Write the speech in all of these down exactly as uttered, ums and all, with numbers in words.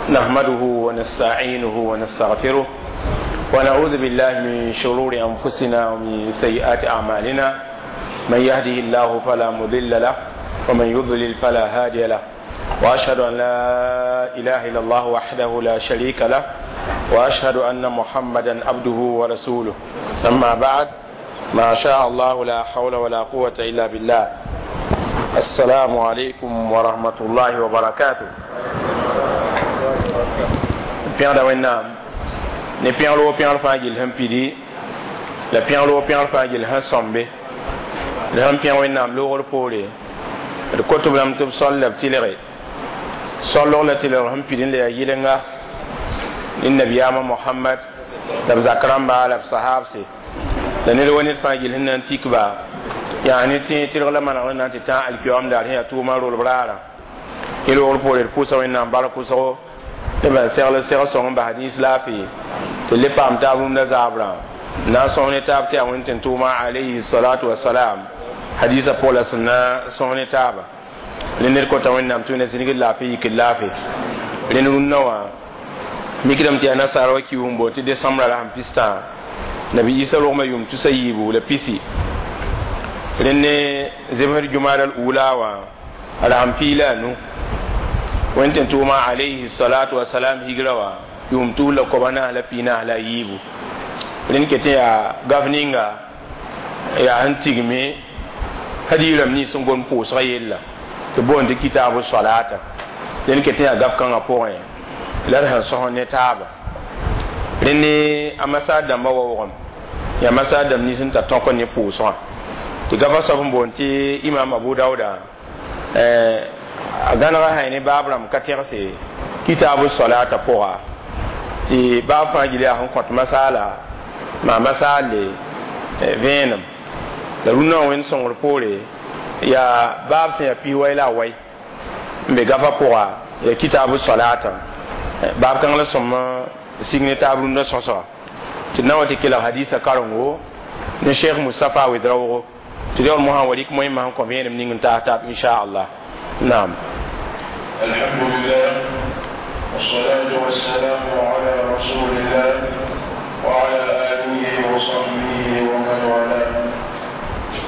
نحمده ونستعينه ونستغفره ونعوذ بالله من شرور أنفسنا ومن سيئات أعمالنا من يهده الله فلا مضل له ومن يضلل فلا هادي له وأشهد أن لا إله إلا الله وحده لا شريك له وأشهد أن محمدا عبده ورسوله أما بعد ما شاء الله لا حول ولا قوة إلا بالله السلام عليكم ورحمة الله وبركاته pẽgda wẽnnaam ne pẽgl wo pẽgr fãa gill sẽn pidi la pẽgl wo pẽgr fãa gill sẽn sõmbe d sẽn pẽg wẽnnaam loogr poore d kot b lame tɩ b sol la b tɩlge sollg la tɩlgr sẽn pid n la yaa yɩlenga ne nabiyaamã mohamad la b zak rãmba la b sahabse la ned wa ned fãa gill sẽn na n tik ba yaa ne tẽ tɩlg la manegr na n tɩ tã alkiyoam daar sẽn yaa tʋʋmã rolb raarã yẽ loogr poore d pʋʋsa wẽnnaam bark wʋsgo ne ban segl seg sõng n bas nins laafɩ tɩ le paam taab rũndã zaabrã na n sõs ne taab tɩ yaa wẽnd tɩ tʋʋma alayhi salatu wasalam hadisa pʋg la sẽn na sõs ne taaba ne ned kota wẽnnaam tɩ wẽnna zĩnigd laafɩ yikd laafɩ rẽnd rũndã wã mikdame tɩ yaa nasaara wa kiis n boond tɩ desãmbrã la sẽn pistã nabi isa rogmã yʋʋm tusa yiibu la pisi rẽnd ne zemsd jumada al ula wã a ra sẽn pii la a nu wẽnd tɩ tʋʋma alayhi salatu wasalam higra wã yʋʋm tus la koba naas la pii naas la a yiibu rẽnd ket n yaa gaf ninga yaa sẽn tigme hadiirame nins sẽn gom pʋʋsgã yella tɩ boond tɩ kitabu salata rẽnd ket n yaa gaf kãngã pʋgẽ la d sẽn sõs ne taaba rẽnd ne a masaar dãmbã waoogem yaa masaar dãmb nins n tar tõk ne pʋʋsgã tɩ gafa soab n boond tɩ imam abu dauda a gãnega sã ne baab rãmb ka tẽgse kitabu salata pʋga tɩ baab fãa gil yaa sẽn kõt masaala maa masaalle vẽenem la rũnnã wã wẽnd sõngr poore yaa baab sẽn yaa pis wai la a wai n be gafa pʋga yaa kitabu salata baab kãng la sõm sig ne taab rũndã sõsga tɩ d na wa tɩ kelg hadisa karengo ne cheikh mustafa wedraoogo tɩ d yaool mosã wa rɩk moẽmã sẽn kõ vẽenem ning n taas taab inchallah نعم. الحمد لله والصلاة والسلام على رسول الله وعلى آله وصحبه ومن والاه.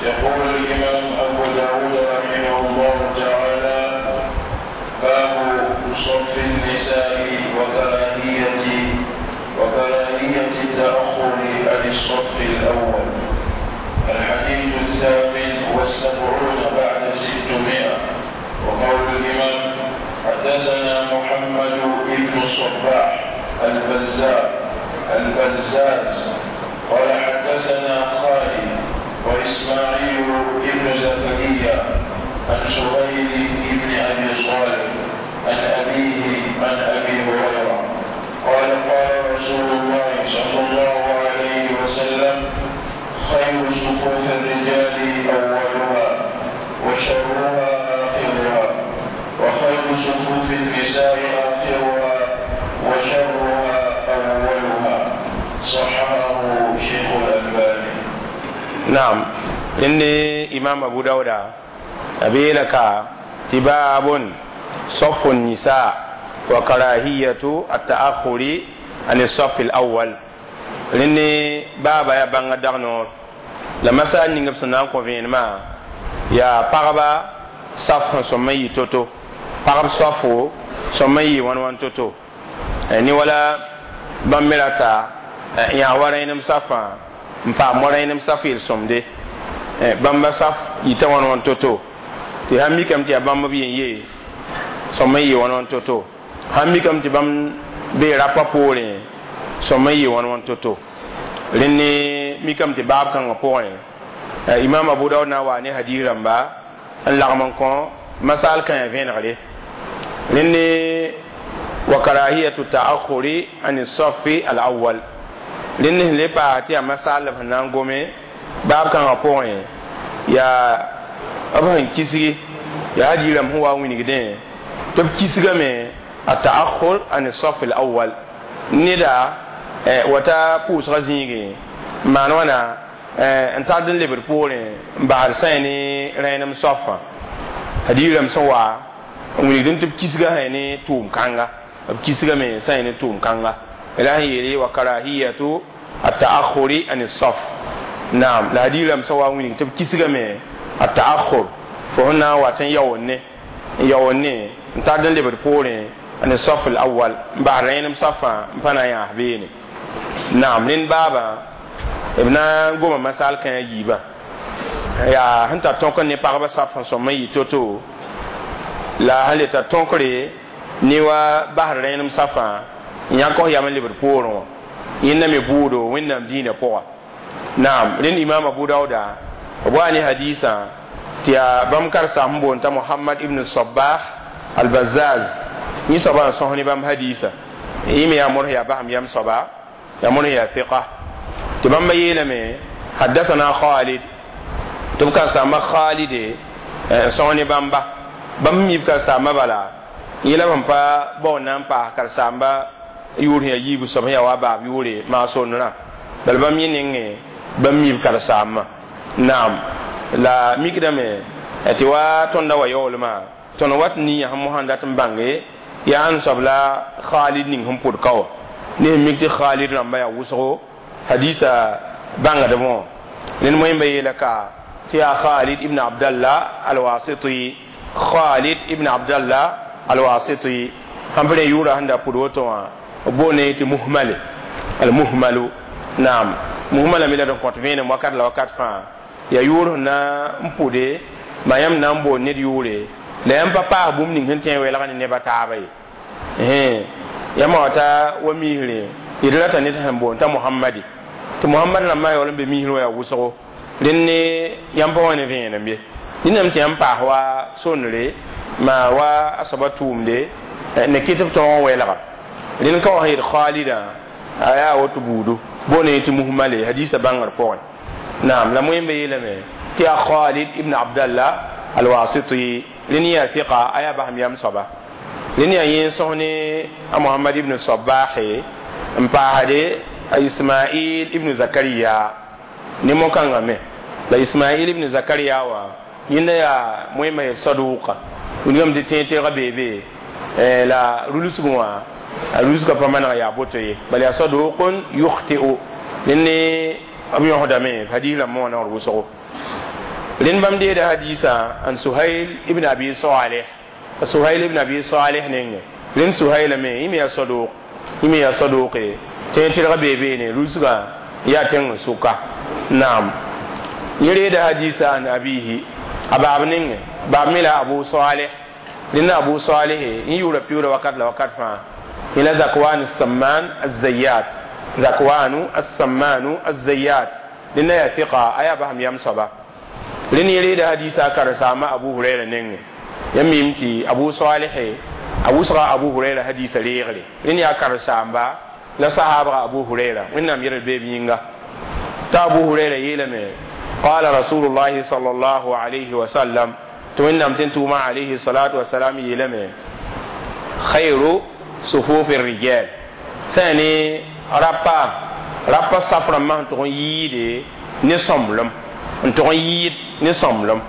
يقول الإمام أبو داود رحمه الله تعالى: باب صف النساء وكراهية وكراهية التأخر عن الصف الأول. الحديث الثامن والسبعون بعد ستمائة. وقول الإمام: حدثنا محمد بن الصباح البزار البزاز قال حدثنا خالد وإسماعيل بن زكريا عن سهيل بن أبي صالح عن أبيه عن أبي هريرة قال: قال رسول الله صلى الله عليه وسلم: خير صفوف الرجال أولها وشرها آخرها، وخير صفوف النساء آخرها وشرها أولها. صححه شيخ الألباني. نعم، إني إمام أبو داود أبي لك تباب صف النساء وكراهية التأخر عن الصف الأول. لأني بابا يا بانغ دغنور لما سألني نفسنا نان ما yaa pagba saf sẽn sõm n yɩ to-to, pagb soafo sõm n yɩ wãn-wãn to-to, ne wala bãmb me rata yãag wa rẽenem safã n paam wa rẽenem saf yel-sõmde bãmba saf yita wãn-wãn to-to, tɩ sãn mikame tɩ yaa bãmb b yen ye sõm n yɩ wãn-wãn to-to, sãn mikame tɩ bãmb bee rapa poorẽ sõm n yɩ wãn-wãn to-to. Rẽnd ne mikame tɩ baab kãngã pʋgẽ imam abu daud na wa ne hadis rãmba n lagm n kõ masal kãyã vẽenegre. Rẽnd ne wa karahiyatu ta'akhuri an safi al awwal. Rẽnd ne sẽn le paas tɩ yaa masal la b sẽn na n gome baab kãngã pʋgẽ yaa b sẽn kisgi yaa hadis rãmb sẽn wa n wilgdẽ tɩ b kisgame a ta'akhur an saf al awwal neda wata pʋʋsgã zĩigẽ n maan wãna n tard n lebd poorẽ n basd sã ne rẽenem soafã hadiirame sẽn wa n wilgd tɩ b kisga sã ne tʋʋm kãnga. B kisgame sã n ne tʋʋm kãnga la sẽn yeele wa karahiyatu التأخر عن الصف naam la hadiis rãmb sã wa n wilg tɩ b kisgame التأخر fo sẽn na n wat n yaoonne n yaoonne n tard n lebd poorẽ عن الصف الأول n bas rẽenem safã n pa na n yãas beene naam rẽnd baabã b na n goma masal kãe a yiibã yaa sẽn tar tõk ne pagba saf n sõm n yɩ to-to la sẽn le tar tõkre ne wa basd rẽenem safã n yãk f yam n lebd poorẽ wã yẽnda me buudo wẽnnaam dĩinã pʋga naam rẽnd imam abu dauda b wa ne hadiisã tɩ yaa bãmb karsaam sẽn boond t'a mohamad ibn sabah albazaz yẽ soabã n sõs ne bãmb hadiisa yẽ me yaa mods yaa basem yam soaba yaa mods yaa fiqa tɩ bãmba yeelame حدثنا خالد tɩ b karsaambã khalide n sõs ne bãmba bãmb mi b karsaambã bala yẽ la sẽn pa bao na n paas karsaamba yʋʋr sẽn yaa yiibu soab sẽn yaa wa baab yʋʋre maa-sondrã bala bãmb yẽ nengẽ bãmb mi b karsaambã naam la mikdame tɩ wa tõnda wa yaoolmã tõnd wat nin sẽn mosã n dat n bãnge yaa n soab la khalid ning sẽn pʋd ka wã ne sẽn mik tɩ khalid rãmba yaa wʋsgo hadisa bãngdb wã ned moẽmba yeela ka tɩ yaa khalid ibn abdallah alwasiti khalid ibn abdallah alwasiti sãn pa rẽ yʋʋra sẽn da pʋd woto wã b boone tɩ muhmale almuhmalu naam muhmala me la d kõt vẽenem wakat la wakat fãa yaa yʋʋr sẽn na n pʋde maa yãmb na n boond ned yʋʋre la yãmb pa paas bũmb ning sẽn tõe n welg ne neba taaba ye yãmb wa ta wa misre d rata ned sẽn boond t'a mohamadi tɩ mohamad rãmbã yaool n be misrẽ wã yaa wʋsgo rẽnd ne yãmb pa wa ne vẽenem ye dĩnam tɩ yãmb paas wa sondre maa wa a soaba tʋʋmde ne kɩt b tõog n welga rẽnd ka wa sẽn yet khalidã a yaa woto buudu boone tɩ muhmale hadisa bãngr pʋgẽ naam la moẽmba yeelame tɩ yaa khalid ibn abdallah alwasiti rẽnd yaa fiqa a yaa basem yam soaba rẽnd yaa yẽ sõs ne a mohamad ibn sabahe n paasde a ismail ibn zakariya ne mo-kãngã me la ismail ibn zakariya wã yẽnda yaa moẽmba yel saduka wilgame tɩ tẽeg-tẽegã beebe la rulsg wã a rulsgã pa maneg yaa boto ye bala yaa sadukun yukhti'u rẽnd ne b yõsdame hadis rãmbã wã naoor wʋsgo rẽnd bãmb deeda hadisa an suhail ibn abi salih suhail ibn abi salih nengẽ rẽnd suhaila me yẽ me yaa saduk yẽ me yaa saduke tẽeg tɩrga bee beene rulsgã yaa tẽng n sʋka naam yẽ reeda hadisa an abihi a baab nengẽ baab me la abu salih rẽnd abu salih yẽ yʋʋra piuura wakat la wakat fãa yẽ la zakwan samman azayat zakwanu assammanu azayat rẽnda yaa fiqa a yaa basem yam soaba rẽnd yẽ reeda hadisa karsaama abu huraira nengẽ yãmb mim tɩ abu salih a wʋsga abu huraira hadisa reegre rẽnd yaa karsaamba la sahabga abu huraira wẽnnaam yɛl beeb yĩnga t'a abu huraira yeelame قال رسول الله صلى الله عليه وسلم tɩ wẽnnaam tɩ n tʋʋma alayhi salatu wasalam yeelame خير صفوف الرجال sã ne rapa rapa saf rãmbã sẽn tʋg n yɩɩde ne sõmblem n tʋg n yɩɩd ne sõmblem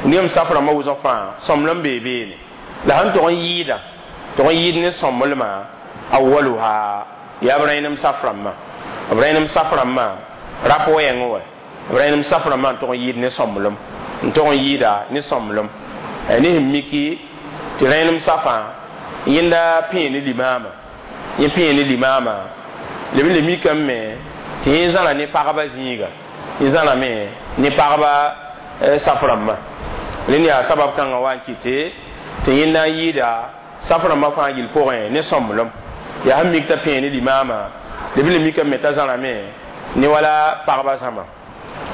nem saf rãmbã wʋsg fãa sõmblem bee beene la sẽn tʋg n yɩɩda tʋg n yɩɩd ne sõmblmã أولها yaa b rẽenem saf rãmbã b rẽenem saf rãmbã rap wɛɛngẽ wa b rẽenem saf rãmbã n tʋg n yɩɩd ne sõmblem n tʋg n yɩɩda ne sõmblem ne sẽn miki tɩ rẽenem safã yẽnda pẽe ne limaama yẽ pẽe ne limaama leb n le mikame me tɩ yẽ zãra ne pagba zĩiga yẽ zãrame ne pagba saf rãmbã rẽnd yaa sabab kãngã wa n kɩte tɩ yẽnda n yɩɩda saf rãmbã fãa gill pʋgẽ ne sõmblem yaa sẽn mik t'a pẽe ne limaama leb n le mikame me t'a zãrame ne wala pagba zãma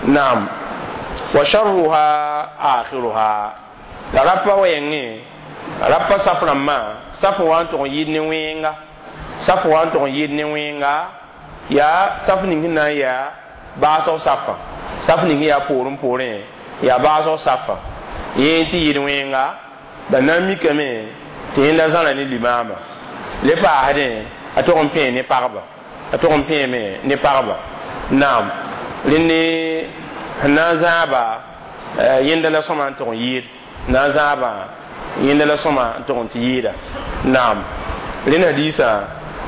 naam وشرها آخرها la rapa wɛɛngẽ rapa saf rãmbã saf wa n tʋg n yɩɩd ne wẽenga saf wa n tʋg n yɩɩd ne wẽenga yaa saf ning sẽn na n yaa baasg safã saf ning yaa poorẽ poorẽ yaa baasg safã yẽ tɩ yɩɩd wẽenga ba na n mikame tɩ yẽnda zãra ne limaama le paasdẽ a tʋg n pẽe ne pagba a tʋg n pẽeme ne pagba naam rẽnd ne sẽn na n zãaba yẽnda la sõma n tʋg n yɩɩd na n zãaba yẽnda la sõma n tʋg n tɩ yɩɩda naam Rẽnd hadiisã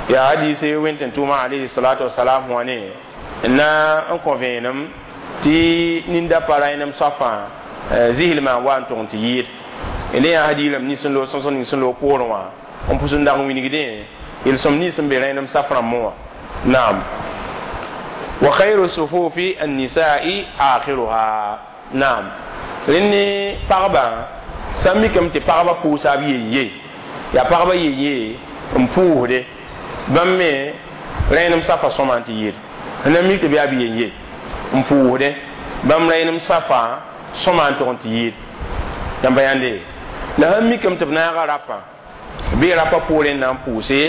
yaa hadiise wẽn tʋʋma alayhi salatu wasalam wã ne n na n kõ vẽenem tɩ ninda pa rãenem soafã zislmã wa n tʋg n tɩ yɩɩd d yaa hadiirame nins n loog sõsg ning sẽn loog poorẽ wã n pʋs n dag n wilgdẽ yel-sõm nins sẽn be rẽenem saf rãmbẽ wã naam wa khayru sufufi annisa'i akhiruha naam rẽnd ne pagba sã n mikame tɩ pagba pʋʋsa b yen-ye yaa pagba yen-ye n pʋʋsde bãmb me rẽenem safa sõma n tɩ yɩɩd n na mik tɩ b yaa b yen-ye n pʋʋsde bãmb rẽenem safa sõma n tʋg n tɩ yɩɩd yãmba yãnde la sãn mikame tɩ b naaga rapa bɩ rapa poorẽ n na n pʋʋse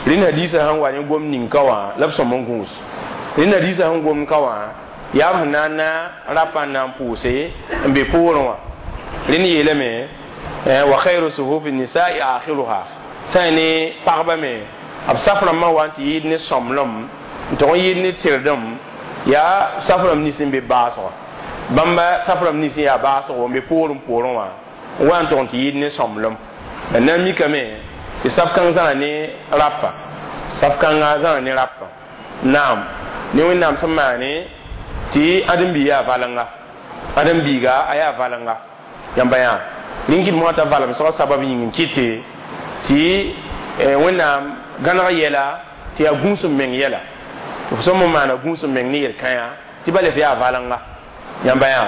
rẽnd hadiisã sẽn wa ne gom ning ka wã la b sõm n gũus rẽnd hadiisã sẽn gom ka wã yaa b sẽn na n na rapa n na n pʋʋse n be poorẽ wã rẽnd yeelame wa khayru sufufi nisa'i akhiruha sã ne pagba me b saf rãmbã wa n tɩ yɩɩd ne sõmblem n tʋg n yɩɩd ne tɩrdem yaa saf rãmb nins n be baasgã bãmba saf rãmb nins n yaa baasgo n be poorẽ poorẽ wã n wa n tʋg n tɩ yɩɩd ne sõmblem la na n mikame tɩ saf kãng zãra ne rapa saf kãnga zãra ne rapa naam ne wẽnnaam sẽn maane tɩ ãdem-biig yaa valenga ãdem-biiga a yaa valenga yãmba yã rẽn kɩt mosã t'a valemsgã sabab yĩng n kɩte tɩ wẽnnaam gãneg yɛla tɩ yaa gũus n meng yɛla tɩ f sõm n maana gũus n meng ne yel-kãyã tɩ bala f yaa valenga yãmba yã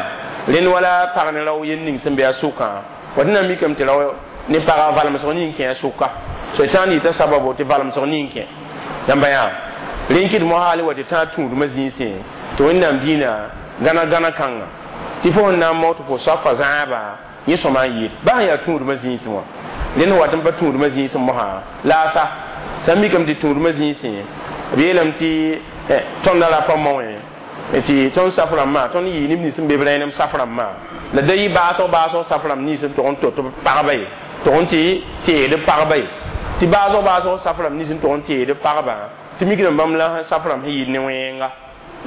rẽnd wala pag ne rao yel ning sẽn be a sʋkã wa tɩ na n mikame tɩ rao ne paga valemsg ning kẽ a sʋka so tã n yɩta sababo tɩ valemsg ning kẽ yãmba yã rẽn kɩt mosã hal wa tɩ tã tũudmã zĩisẽ tɩ wẽnnaam dĩinã gãna gãna kãnga tɩ fo sẽn na n mao tɩ fo soafa zãaba yẽ sõma n yɩɩd baa sẽn yaa tũudmã zĩisẽ wã rẽnd wat n pa tũudmã zĩisẽ mosã laasa sã n mikame tɩ tũudmã zĩisẽ b yeelame tɩ tõndã rapa maoẽ tɩ tõnd saf rãmbã tõnd yɩɩ neb nins n be b rẽenem saf rãmbã la da yɩ baasg baasg saf rãmb nins n tʋg n tot b pagba ye tʋg n tɩ teed b pagba ye tɩ baasg baasg saf rãmb nins n tʋg n teed b pagba tɩ mikdame bãmb la saf rãmb sẽn yɩɩd ne wẽnga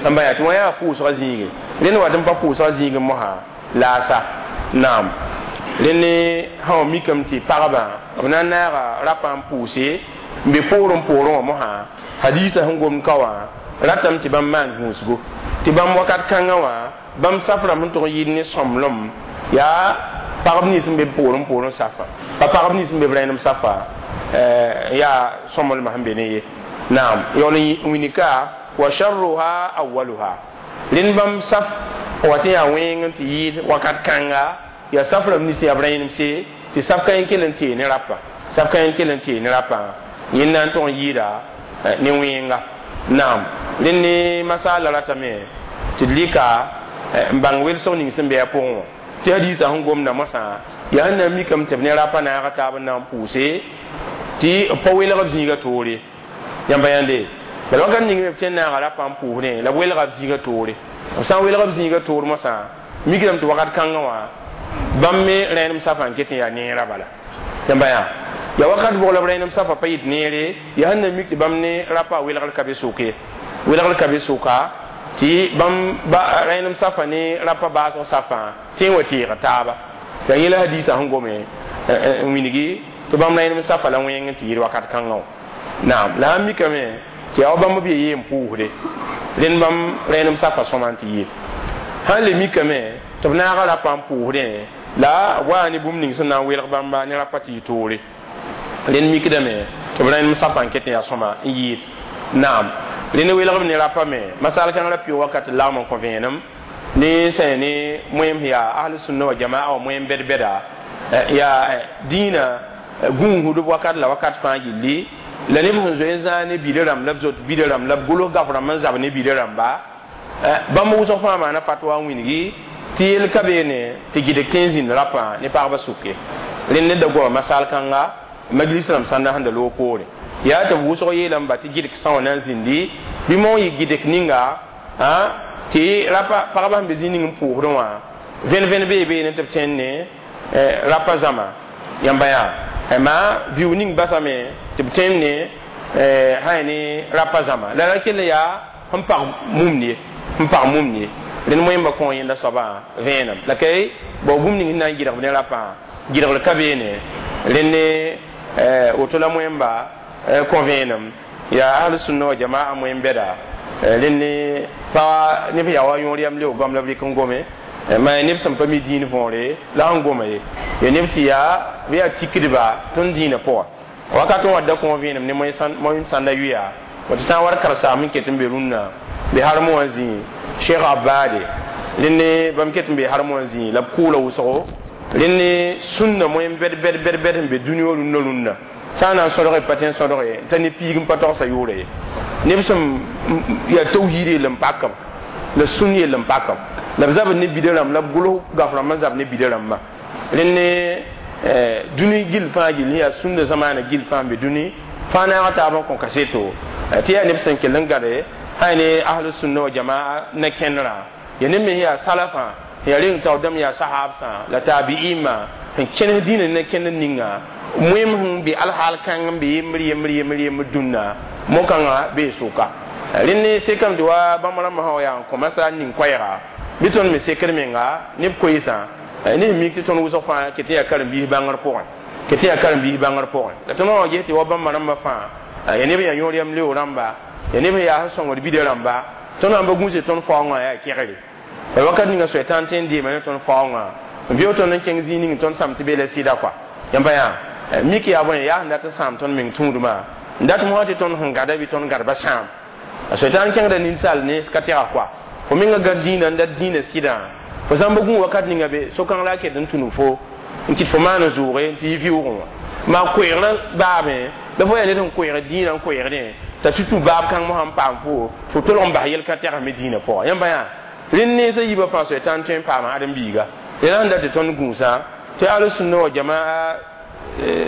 ãmba yaa tɩ wã yaa pʋʋsga zĩige rẽnd wat n pa pʋʋsga zĩig mosã laasa naam rẽnd sã wa mikame tɩ pagba b na n naaga rapa n pʋʋse n be poorẽ poorẽ wã mosã hadiisã sẽn gomd ka wã ratame tɩ bãmb maan gũusgo tɩ bãmb wakat kãngã wã bãmb saf rãmb sẽn tʋg n yɩɩd ne sõmblem yaa pagb nins n be poorẽ poorẽ safa pa pagb nins n be b rẽenem safa yaa sõmblmã sẽn be ne ye naam yaool n wilgka wa sharruha awwaluha rẽnd bãmb saf wa tɩ yaa wẽng n tɩ yɩɩd wakat kãnga yaa saf rãmb nins yaa b rẽenemse tɩ saf ka yẽ kell n tee ne rapa saf ka yẽ kell n tee ne rapa yẽnd na n tʋg n yɩɩda ne wẽnga naam rẽnd ne masaala ratame tɩ d lɩka n bãng welsg ning sẽn be a pʋgẽ wã tɩ hadiisã sẽn gomda mosã yaa sẽn na n mikame tɩ b ne rapa naaga taab n na n pʋʋse tɩ b pa welg b zĩiga toore yãmba yãnde bala wakat ning me b tõe n naaga rapa n pʋʋsdẽ la b welga b zĩiga toore b sã n welg b zĩiga toor mosã mikdame tɩ wakat kãngã wã bãmb me rẽenem safã n ket n yaa neerã bala yãmba yã ya wakat bʋg la b rẽenem safã pa yɩt neere yaa sẽn na mik tɩ bãmb ne rapa welgr ka be sʋk ye welgr ka be sʋka tɩ bãmb rẽenem safã ne rapa baasg safã tɩ n wa teeg taaba la yẽla hadiisã sẽn gome n wilgi tɩ bãmb rẽenem safã la wẽng n tɩ yɩɩd wakat kãngã wã naam la sãn mikame tɩ yaa wa bãmb b ye n pʋʋsde rẽnd bãmb rẽenem safã sõma n tɩ yɩɩd sãn le mikame tɩ b naaga rapa n pʋʋsdẽ la b waa ne bũmb ning sẽn na n welg bãmba ne rapa tɩ yɩ toore rẽnd mikdame tɩ b rẽenem safã n ket n yaa sõma n yɩɩd naam rẽnd welg b ne rapa me masal kãng ra pɩʋg wakat lagm n kõ vẽenem ne sã ne moem yaa ahl sunna wa jamaa wa moem bɛd-bɛda yaa dĩinã gũusdb wakat la wakat fãa gilli la neb sẽn zoe n zãag ne bida rãmb la b zot bida rãmb la b gʋls gaf rãmb n zab ne bida rãmba bãmb wʋsg fãa maana fatwa n wilgi tɩ yel ka beene tɩ gɩdg tõe n zĩnd rapã ne pagba sʋke rẽnd ned da goama masal kãnga majlis rãmb sãnda sẽn da loog poore yaa tɩ b wʋsg yeelame ba tɩ gɩdg sã wã na n zĩndi bɩ mong yɩ gɩdg ninga tɩ rapa pagba sẽn be zĩ ning n pʋʋsdẽ wã vẽn-vẽn bee beene tɩ b tẽnd ne rapa zãma yãmba yaa maa viu ning basame tɩ b tẽnd ne sã ne rapa zãma la ra kell yaa sẽn pag mumd ye sẽn pag mumd ye rẽnd moẽmba kõ yẽnda soabã vẽenem la kay bao bũmb ning sẽn na n gɩdg b ne rapã gɩdgr ka beene rẽnd ne woto la moẽmba kõ vẽenem yaa ahlu sunna wa jamaa moẽn bɛda rẽnd pa neb yaa wa yõor yam leo goam la b rɩk n gome ma neb sẽn pa mi dĩin võore la sẽn goma ye ya neb tɩ yaa bɩ yaa tikdba tõnd dĩinã pʋga wakat n wa da kõ vẽenem ne moẽn sãnda yʋya tɩ tã war karsaam n ket n be rũnnã be harmẽ wã zĩi cheikh abade rẽnd bãmb ket n be harmẽ wã zĩi la b kʋʋla wʋsgo rẽnd sũnna moẽn bɛd bɛd bɛd bɛd n be dũni wã rũnnã rũnnã sã n na n sõdge pa tẽ sõdge t'a ne piig n pa togsa yʋʋre ye neb sẽn yaa tawhiid yell n pakam la sũn yell n pakam la b zabd ne bida rãmb la b gʋls gaf rãmb n zab ne bida rãmbã rẽnd dũni gill fãa gill yaa sũnda zamaana gill fãa n be dũni fãa naag taab n kõ kaseto tɩ yaa neb sẽn kell n gade sã ne ahlu sunna wa jamaa na kẽnerã ya neb me yaa salafã yaa reng taoor dãmb yaa sahabsã la tabi'imã sẽn kẽnes dĩinã ne kẽnd ninga moem sẽn be alhaal kãng n be yembr yembr yembr yembr dũnna mo-kãngã bee sʋka rẽnd ne sekame tɩ wa bãmb rãmbã sã wa yaa n kõ masal ning koɛɛga bɩ tõnd me sekd menga neb koeesã ne sẽn mik tɩ tõnd wʋsg fãa ket n yaa karen-biis bãngr pʋgẽ ket n yaa karen-biis bãngr pʋgẽ la tõnd wã ges tɩ wa bãmba rãmbã fãa ya neb yaa yõor yam leo rãmba ya neb yaa sẽn sõngd bida rãmba tõnd sãn pa gũuse tõnd faoongã yaa kegre la wakat ninga soɛtãn tõe n deema ne tõnd faoongã n vɩʋg tõnd n kẽng zĩig ning tõnd sãm tɩ be la sɩda kɔa yãmba yaa mik yaa bõe yaa sẽn dat n sãam tõnd meng tũudmã n dat mosã tɩ tõnd sẽn gada bɩ tõnd gadba sãam a soɛtãn kẽngda ninsaal nens ka tɛga kɔa fo menga gad dĩinã n dat dĩinã sɩdã fo sãn pa gũ wakat ninga be so-kãng la a ket n tũnu fo n kɩt fo maan zʋʋge n tɩ yɩ vɩʋʋgẽ wã maa koɛɛgrã baabẽ la fo yaa ned sẽn koɛɛg dĩinã n koɛɛgdẽ t'a tɩ tũ baab kãng mosã n paam fo fo tolg n bas yel-ka tɛgsme dĩinã pʋga yãmba yaa rẽnd nensã yiibã fãa soɛtãn tõe n paama ãdem-biiga rẽna sẽn dat tɩ tõnd gũusã tɩ al-sunna wa jamaa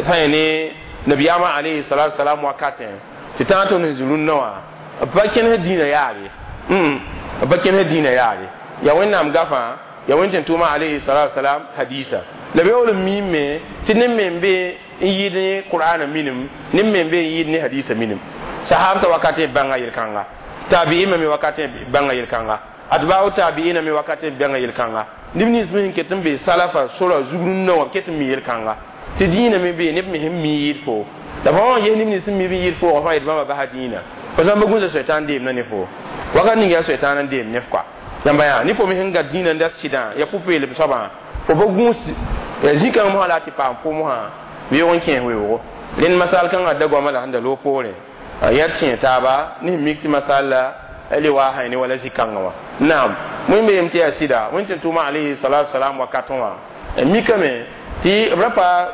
sã yẽ ne nabiyaamã alayhi salatu salam wakatẽ tɩ tãag tõnd sẽn zĩ rũnnã wã b pa kẽnes dĩinã yaare b pa kẽnes dĩinã yaare yaa wẽnnaam gafã yaa wẽn tɩ tʋʋma alayhi salatu salam hadisa la b yaool n miime tɩ neb me n be n yɩɩd ne qur'ana minim neb me n be n yɩɩd ne hadisa minim sahabta wakatẽ bãnga yel-kãnga tabi'ima me wakatẽ bãnga yel-kãnga atba'u tabi'ina me wakatẽ bãnga yel-kãnga neb nins me sẽn ket n be salafa sora zug rũnnã wã ket n mi yel-kãnga tɩ dĩinã me be neb me sẽn mi yɩɩd fo la fo wã ges neb nins sẽn mi b yɩɩd foogã fãa yet bãmba basa dĩinã fo sãn pa gũsa soɛtãn deemdã ne fo wakat ning yaa soɛtãn n deem nef kɔa yãmba yaa ne fo me sẽn gat dĩinã n dat sɩdã yaa pʋ-peelem soabã fo pa gũus zĩ-kãng mosã la a tɩ paam fo mosã beoog n kẽes weoogo rẽnd masal kãngã da goamã la sẽn da loog poorẽ yaa tẽ taaba ne sẽn mik tɩ masal la le waa sã ne wala zĩ-kãngã wã naam wẽn be yem tɩ yaa sɩda wẽn tɩ tʋʋma alayhi salatu salam wakatẽ wã mikame tɩ b ra pa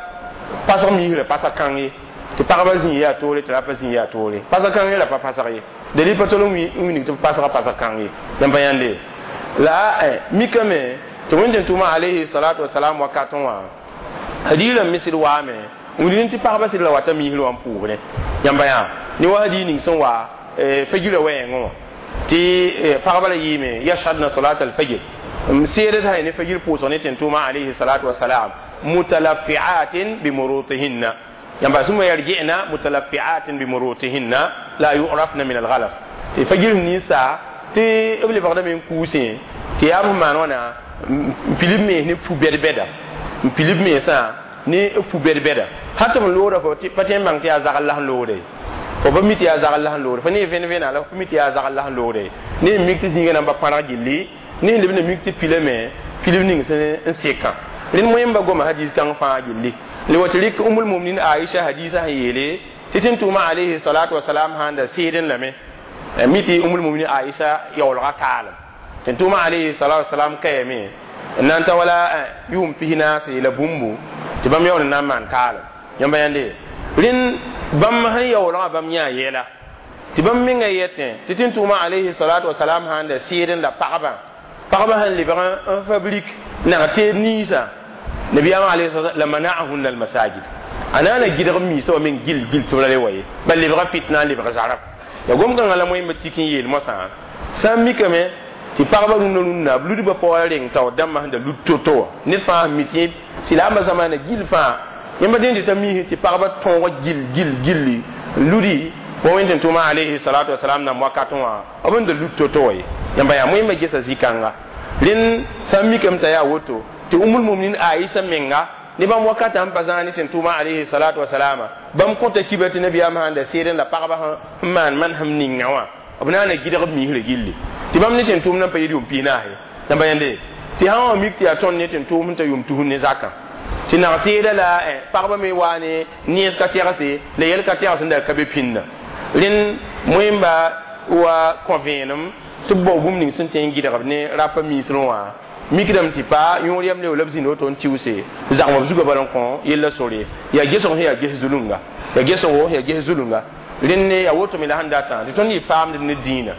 pasg misrã pasa kãng ye tɩ pagba zĩ yaa toore tɩ ra pa zĩ yaa toore pasa kãng ye la pa pasg ye dalil pa tol n wilg tɩ b pasga pasa kãng ye yãmb pa yãnde la mikame tɩ wẽn tɩ tʋʋma alayhi salatu wasalam wakatẽ wã hadiirã misd waame n wilg tɩ pagba sɩd la wata misr wã n pʋʋgdẽ yãmba yaa ne wa hadiir ning sẽn wa fajirã wɛɛngẽ wã tɩ pagba la yɩɩme yashhadna salat alfajr n seedd sã ne fajir pʋʋsg ne tɩ n tʋʋma alayhi salatu wasalam mutalaffi'atin bimurutihinna yãmba sũma yarji'na mutalaffi'atin bimurutihinna la yu'rafna min alghalas tɩ fajir ninsa tɩ b lebgdame n kuusẽ tɩ yaa b maan wãna n pilb mens ne fu bɛd-bɛda n pilb mensã ne fu bɛd-bɛda hal tɩ b loogda fo pa tõe n bãng tɩ yaa zagl la sẽn loogde fo pa mi tɩ yaa zagl la sẽn loogde fo ne vẽn vẽna la fo mi tɩ yaa zagl la sẽn loogde ne n mik tɩ zĩigã namba pãrg gilli ne n leb na mik tɩ pilame pilb ning sẽn n sekã rẽnd moẽmba goma hadis kãng fãa gilli le wa tɩ rɩk umul muminin aisha hadisa sẽn yeele tɩ tɩ n tʋʋma alayhi salatu wasalam sãn da seedẽ lame mi tɩ umul muminin aisha yaoolga kaalem tɩ n tʋʋma alayhi salatu wasalam kayame n na n ta wala yʋʋm pis-naase la bũmbu tɩ bãmb yaool n na n maan kaalem yãmba yãnde rẽnd bãmb sẽn yaoolgã bãmb yãa yɛla tɩ bãmb menga yetẽ tɩ tɩ n tʋʋma alayhi salatu wasalam sãn da seedẽ la pagba pagba sẽn lebg n fabrik nag teed ninsã nabiyaamã alayhi la mana'ahunna almasajid a na na gɩdg miisã wa meng gil gil tɩ b ra le wa ye bal lebga fitna n lebg zarab ya gom-kãngã la moẽmba tik n yeel moasã sã n mikame tɩ pagba rũnnã rũnnã b ludba paoora reng taoor dãmbã sẽn da lud to-to wã ned fãa sẽn mi tɩ silaambã zamaana gil fãa yãmba dẽn tɩ t'a miisẽ tɩ pagba tõog gil gil gilli ludi wa wẽn tɩ tʋʋma alayhi salatu wasalam nam wakatẽ wã b n da lud to-to wã ye yãmba yaa moẽmba gesa zĩ-kãnga rẽnd sã n mikame t'a yaa woto tɩ umul muminin aisha menga Ne bãmb wakatã sẽn pa zãag ne tẽn-tʋʋmã alayhi salatu wasalama bãmb kõta kiba tɩ nabiyaam sãn da seedẽ la pagba sẽn maan manesem ninga wã b na n gɩdg b miisrã gilli tɩ bãmb ne tẽn-tʋʋm nan pa yɩl yʋʋm pis-naase tɩ ba yẽnde tɩ sã wã mik tɩ yaa tõnd ne tẽn-tʋʋm sẽn ta yʋʋm tus ne zakã tɩ nag teeda la pagba me waa ne nens ka tɛgse la yɛl ka tɛgs n da ka be pĩnda rẽnd moẽmba wa kõ vẽenem tɩ b bao bũmb ning sẽn tõe n gɩdgb ne rapa miisrẽ wã mikdame tɩ pa yõor yam leo la b zĩnd woto n tiʋse zagm b zugã bala n kõ yella sore yaa gesg sẽn yaa ges zulunga yaa gesgo yaa ges zulunga rẽnd yaa woto me la sẽn datã tɩ tõnd yɩ faamd ne dĩinã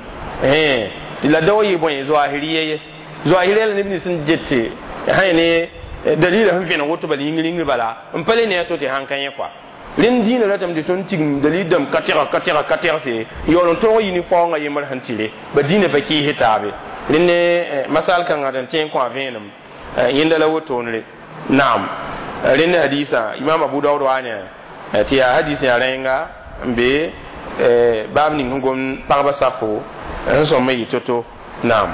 tɩ la da wa yɩ bõe zoahiriya ye zoahiriya la neb nins sẽn gete sã ne dalila sẽn vẽneg woto bala yĩngr yĩngr bala n pa le ne a to tɩ sãn ka yẽ kɔa rẽnd dĩinã ratame tɩ tõnd tigim dalil dãmb ka tɛga ka tɛga ka tɛgse yaool n tõog yɩ ne faoongã yembr sẽn tɩre ba dĩinã pa kɩɩs taabe rẽnd ne masal kãngã tɩ n tẽ n kõ a vẽenem yẽnda la wotone naam rẽnd hadisa imam abu daud wa ne tɩ yaa hadis yaa rẽnga n be baab ning sẽn gom pagba safo sẽn sõm n yɩ to-to naam.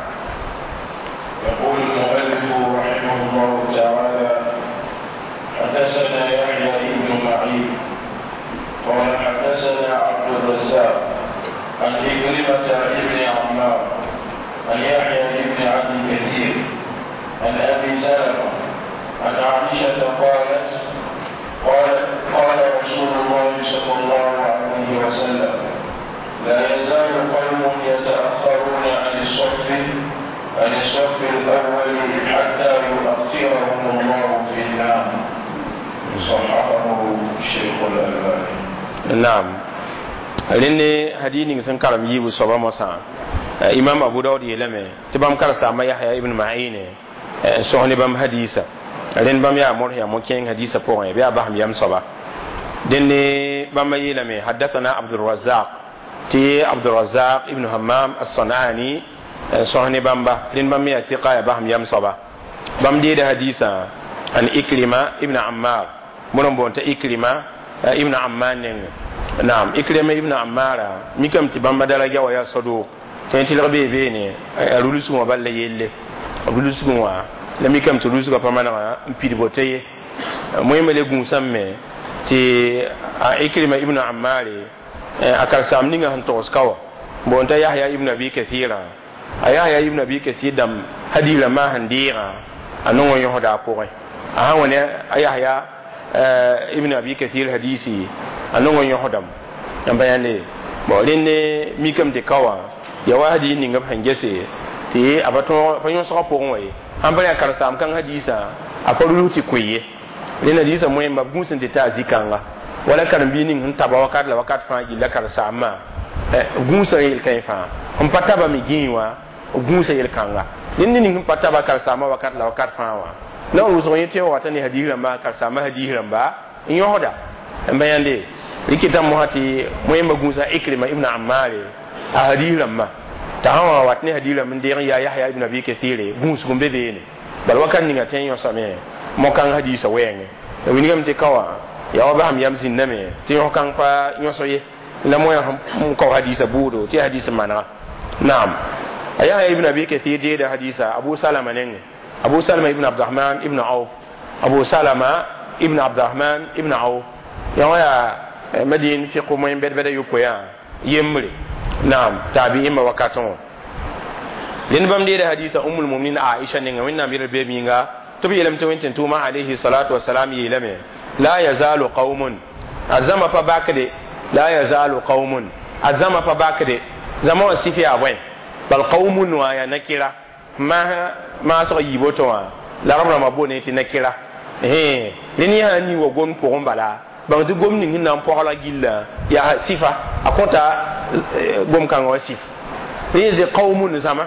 يقول المؤلف رحمه الله تعالى: حدثنا يحيى بن معين قال حدثنا عبد الرزاق عن عكرمة بن عمار عن يحيى بن أبي كثير عن أبي سلمة عن عائشة قالت: قال قال رسول الله صلى الله عليه وسلم: لا يزال قوم يتأخرون عن الصف عن الصف الأول حتى يؤخرهم الله في النار. صححه الشيخ الألباني. نعم rẽnd hadis ning sẽn karem yiibu soaba mosã imam abu daud yeelame tɩ bãmb karsaamba yahya ibn ma'ine n sõs ne bãmb hadisa rẽnd bãmb yaa mor yaa mo-kẽeng hadisa pʋgẽ bɩ yaa basem yam soaba dẽnd bãmba yeelame hadathana abdurrazaq tɩ abdurazaq ibn hammam as-sanani n sõs ne bãmba rẽnd bãmb me yaa tɩqa yaa basem yam soaba bãmb deeda hadisã an ikrima ibn ammar bõn n boond t'a ikrima ibn ammar nengẽ naam ikrima ibn ammara mikame tɩ bãmba daraja wa yaa sadʋʋk tɩ tɩlg bee beene a rulsgẽ wã bal la yelle rulsgẽ wã la mikame tɩ rulsgã pa manega n pid boto ye moẽmba le gũusame me tɩ a ikrima ibn ammare a karsaam ninga sẽn togs ka wã boond t'a yahya ibn abi kathira a yahya ibn abi kathir dãmb hadis rãmbã sẽn deegã a nong n yõsda a pʋgẽ a sã wã ne a yahya ibn abi kathir hadisi a nong n yõsdame n pa yãnde bon rẽnd mikame tɩ ka wã ya wa hadis ninga b sẽn gese tɩ a pa tõog pa yõsgã pʋgẽ wã ye sãn pa yaa karsaam kãng hadisã a pa rulus tɩ koe ye rẽnd hadisã moẽmba b gũus n tɩ taa zĩ-kãnga wala karen-biig ning sẽn taba wakat la wakat fãa gilla karsaambã gũusã yel-kãe fãa sẽn pa taba me gĩi wã gũusã yel-kãnga rẽnd ning sẽn pa taba karsaambã wakat la wakat fãa wã la n wʋsg yẽ tɩ wata ne hadis rãmba karsaambã hadis rãmba n yõsda n ba yãnde rɩkɩta mosã tɩ moẽmba gũusã ikrima ibn ammare a hadis rãmbã t'a sã wã wat ne hadis rãmb n deeg n yaa yahya ibn abi kathire gũusg n be beene bala wakat ninga tõe n yõsame mo-kãng hadisã wɛɛngẽ wilgame tɩ ka wã yaa wa basem yam zĩnname tɩ yõs-kãng pa yõs ye la moã n kao hadisã buudo tɩ hadis manega naam a yahya ibn abi kathir deeda hadisa abu salama nengẽ abu salama ibn abdurahman ibn auf abu salama ibn abdurahman ibn auf yã wã yaa madin fiq moẽ bɛd-bɛda yopoe yembre naam taabi'imba wakatẽ wã rẽnd bãmb deeda hadisa ummul muminin aisha nengẽ wẽnnaam yel beeb yĩnga tɩ b yeelame tɩ wẽn-tẽn-tʋʋmã alayhi salatu wasalam yeelame la yazalu qaumun a zãma pa bakde la yazalu qaumun a zãma pa bakde zãma wã sif yaa bõe bal qaumun wã yaa nakira maasg yiib woto wã la rab rãmbã boone tɩ nakira rẽnd yã sã n ning wa gomd pʋgẽ bala bãng tɩ gom ning sẽn na n pɔgla gillã yaa sifa a kõta gom-kãngã wã sif rẽ tɩ qaumun zãma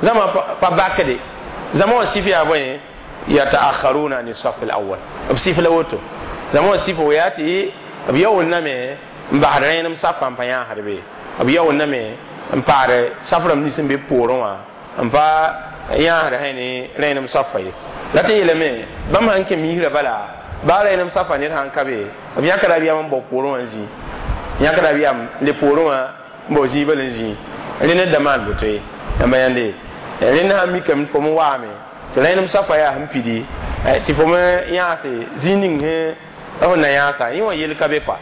zãma pa bakde zãma wã sif yaa bõe yataakharuna an saf al awwal b sif la woto zãma wã sif yaa tɩ b yaoolname n basd rẽenem safã n pa yãasd be b yaoolname n paad saf rãmb nins n be poorẽ wã n pa yãasd sã ne rẽenem safa ye la tɩ yeelame bãmb sãn kẽ miisrã bala baa rẽenem safa ned sãn ka be b yãkra b yam n bao poorẽ wã n zĩ yãkra b yam le poorẽ wã n bao zĩig bal n zĩ rẽnd da maan boto ye yãmba yãnde rẽnd sãn mikame fo n waame tɩ rẽenem safa yaa sẽn pidi Tɩ fo me yãase zĩig ning sẽn f na yãasa yẽ wã yel ka be kɔa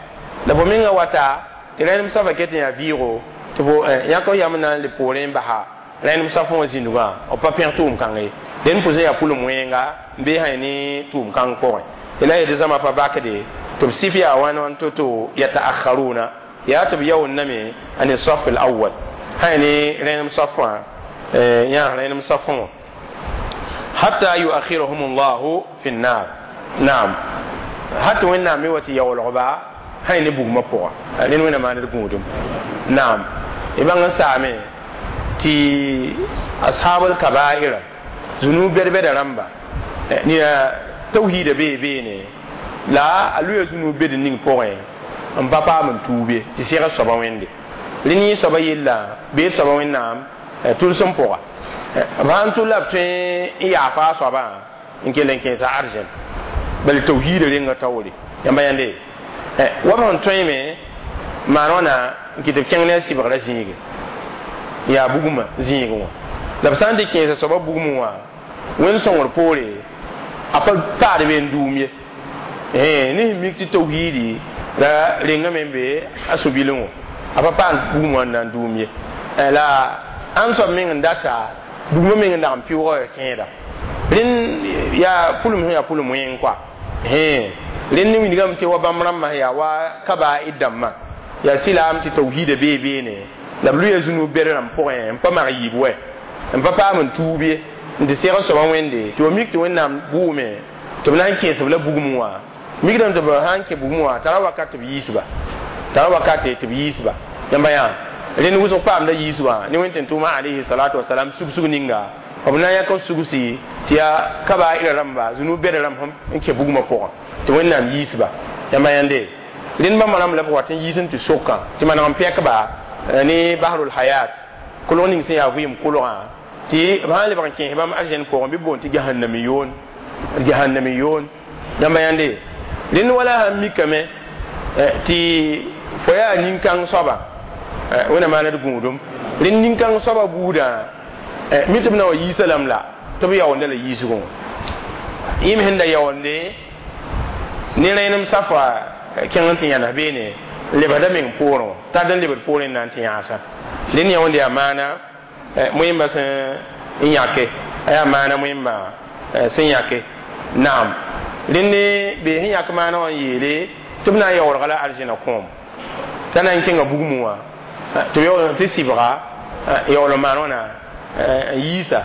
la fo menga wata tɩ rẽnem soabã ket n yaa vɩɩgo tɩ fo yãk f yam n na n le poorẽ n basa rẽnem soab fõ wã zĩndgã b pa pẽg tʋʋm kãng ye dẽnd pʋsẽ yaa pʋlem wẽnga n bee sã ne tʋʋm kãng pʋgẽ tɩ la yetɩ zãma pa bakde tɩ b sɩf yaa wãn wãn to-to yataakharuna yaa tɩ b yaoondame a ne saf al awal sã ne rẽnem saf wã yãas rẽnem saf wã hatta yuakhirahum llahu fi nnar naam hat wẽnnaam me wa tɩ yaoolgba sã ne bugmã pʋga rẽnd wẽnna maan d gũudum naam y bãng n saame tɩ ashabul kabaira zunub bɛd-bɛda rãmba nina tawhiida bee beene la a loya zunub bed ning pʋgẽ n pa paam n tuub ye tɩ seg soaba wẽnde rẽnd yẽ soaba yella bee soaba wẽnnaam tʋlsem pʋga b sãn tʋl la b tõe n yaafa a soabã n kell n kẽesa argent bal tawhiida renga taoore yãmba yãnde wa b sẽn tõeme maan wãna n kɩ tɩ b kẽng ne a sɩbgrã zĩige yaa bugmã zĩigẽ wã la b sã n tɩ kẽesa soabã bugmẽ wã wẽnd sõngr poore a pa paad be n duum ye ne sẽn mik tɩ tawhiidi la rengame n be a sũ-bilẽ wã a pa paam bugmã wã n na n duum ye la ãn soab meng n data bugmã meng n dag n pɩʋʋga kẽeda rẽnd yaa pʋlem sẽn yaa pʋlem wẽng kɔa rẽnd ne wilgame tɩ wa bãmb rãmbã sẽn yaa wa kabaid dãmbã yaa sɩlaam tɩ tawhiida bee beene la b lʋya zũnub bɛd rãmb pʋgẽ n pa mag yiib wɛ n pa paam n tuub ye n tɩ seg soabã wẽnde tɩ wa mik tɩ wẽnnaam bʋʋme tɩ b na n kẽesb la bugum wã mikdame tɩ b sã n kẽ bugum wã tara wakat tɩ b yiisba tara wakat tɩ b yiisba yãmba yã rẽnd wʋsg paamda yiis wã ne wẽn tɩ tʋʋma alayhi salatu wasalam sug-sug ninga b na n yãk b sugsi tɩ yaa kabaira rãmba zũnub bɛd rãmb n kẽ bugmã pʋgã tɩ wẽnnaam yiisba yãmba yãnde rẽnd bãmba rãmb la b wat n yiis n tɩ sokã tɩ maneg n pɛkba ne bahrul hayat kolg ning sẽn yaa vɩɩm kolgã tɩ b sã n lebg n kẽes bãmb argent pʋgẽ bɩ boond tɩ jahannamiyoon jahannamiyoon yãmba yãnde rẽnd wala sãn mikame tɩ fo yaa nin-kãng soaba wẽnna maan d gũudum rẽnd nin-kãng soaba buudã mi tɩ b na wa yiisa lame la tɩ b yaoonda la yiisgẽ wã yẽ me sẽn da yaoonde ne rẽenem safa kẽng n tɩ yãnes beene n lebsda meng poorẽ wã tard n lebd poorẽ n na n tɩ yãasa rẽnd yã wẽnd yaa maana moẽmba sẽn n yãke a yaa maana moẽmba sẽn yãke naam rẽnd bee sẽn yãk maana wã n yeele tɩ b na n yaoolga la arzẽna kõom t'a na n kẽnga bugmẽ wã tɩ tɩ sɩbga yaool n maan wãna n yiisa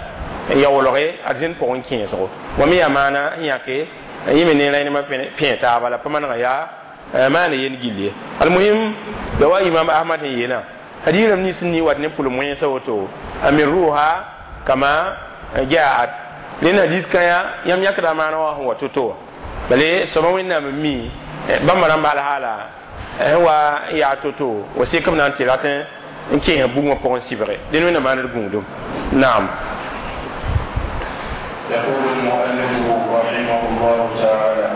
n yaoolge arzẽn pʋgẽ kẽesgo wa me yaa maana n yãke yẽ me ne rẽnemã pẽ taaba la pa manega yaa maana yel gill ye almuhim la wa imam ahmad sẽn yeelã hadiis rãmb nins n ni wat ne pʋlem wẽnsa woto amiruha kama jaat rẽnd hadis kãya yãmb yãkda maana wã sẽn wa to-to wã bale soaba wẽnnaam n mi bãmba rãmba alhaala sẽn wa n yaa to-to wa sek b na n tɩ rat n kẽesa bugmã pʋgẽ sɩbge dẽnd wẽnna maan d gũudum naam يقول المؤلف رحمه الله تعالى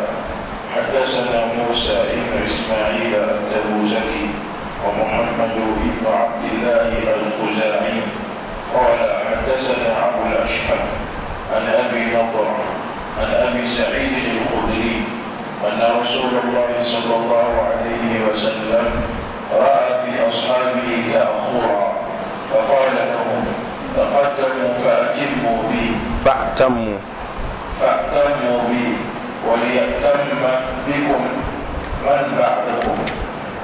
حدثنا موسى بن إسماعيل التبوذكي ومحمد بن عبد الله الخزاعي قال حدثنا أبو الأشهب عن أبي نضر عن أبي سعيد الخدري أن رسول الله صلى الله عليه وسلم رأى في أصحابه تأخرا فقال لهم تقدموا فأتموا بي فأتموا فأتموا بي وليأتم بكم من بعدكم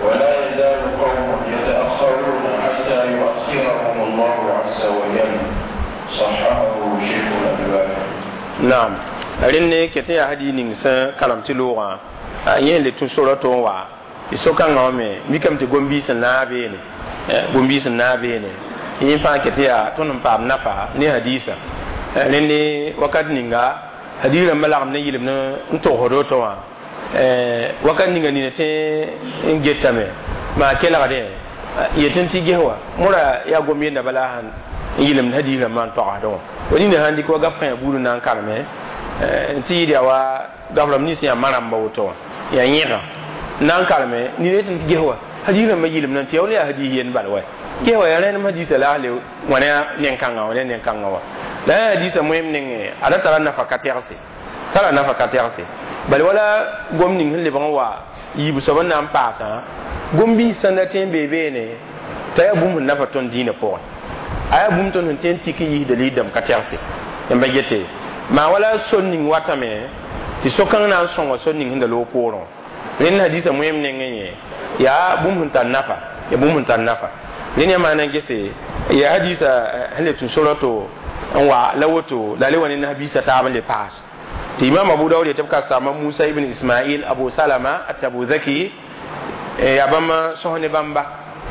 ولا يزال قوم يتأخرون حتى يؤخرهم الله عز وجل صححه شيخ الألباني naam rẽnd ne ket n yaa hadis ning sẽn karem tɩ loogã yẽ le tũ sora tɩ n wa tɩ so-kãngã wã me mikame tɩ gom-biis n naag beene gom-biis n naag beene tɩ yẽ fãa ket yaa tõnd n paam nafa ne hadiisã rẽnd wakat ninga hadis rãmbã lagem ne yɩlemd n togsd woto wã wakat ninga nina tẽ n getame maa kelgdẽ yetẽ tɩ ges wa mora yaa gom yenda bala sãn n yɩlemd hadis rãmbã n togsdẽ wã wa nina sãn dɩk wa gaf kãyã buud n na n kareme tɩ yɩɩd yaa wa gaf rãmb nins yaa ma-rãmba woto wã yaa yẽga n na n kareme nina yetẽ tɩ ges wa hadis rãmbã yɩlemdã tɩ yaa yaa hadis yend bal wa ges wa yaa rẽnem hadisa la le wã ne a nen-kãngã wã ne nen-kãngã wã la yaa hadisa moem nengẽ a da tara nafa ka tɛgse tara nafa ka tɛgse bala wala gom ning sẽn lebg n wa yiib soab n na n paasã gom-biis sẽn da tẽ n bee beene t'a yaa bũmb sẽn nafa tõnd dĩinã pʋgẽ a yaa bũmb tõnd sẽn tẽ n tik n yiis dalil dãmb ka tɛgse yãmba gete maa wala sor ning watame tɩ so-kãng na n sõnga sor ning sẽn da loog poorẽ rẽnd hadisa moem nengẽ yẽ yaa bũmb sẽn tar nafa ya bũmb sẽn tar nafa rẽnd yã maana n gese ya hadisa sẽn le tũ sora-to n wa la woto la le wa ne nasbiisã taab n le paas tɩ imam abu daud yetɩ b ka sama musa ibn ismail abu salama at-tabuzaki yaa bãmb sõs ne bãmba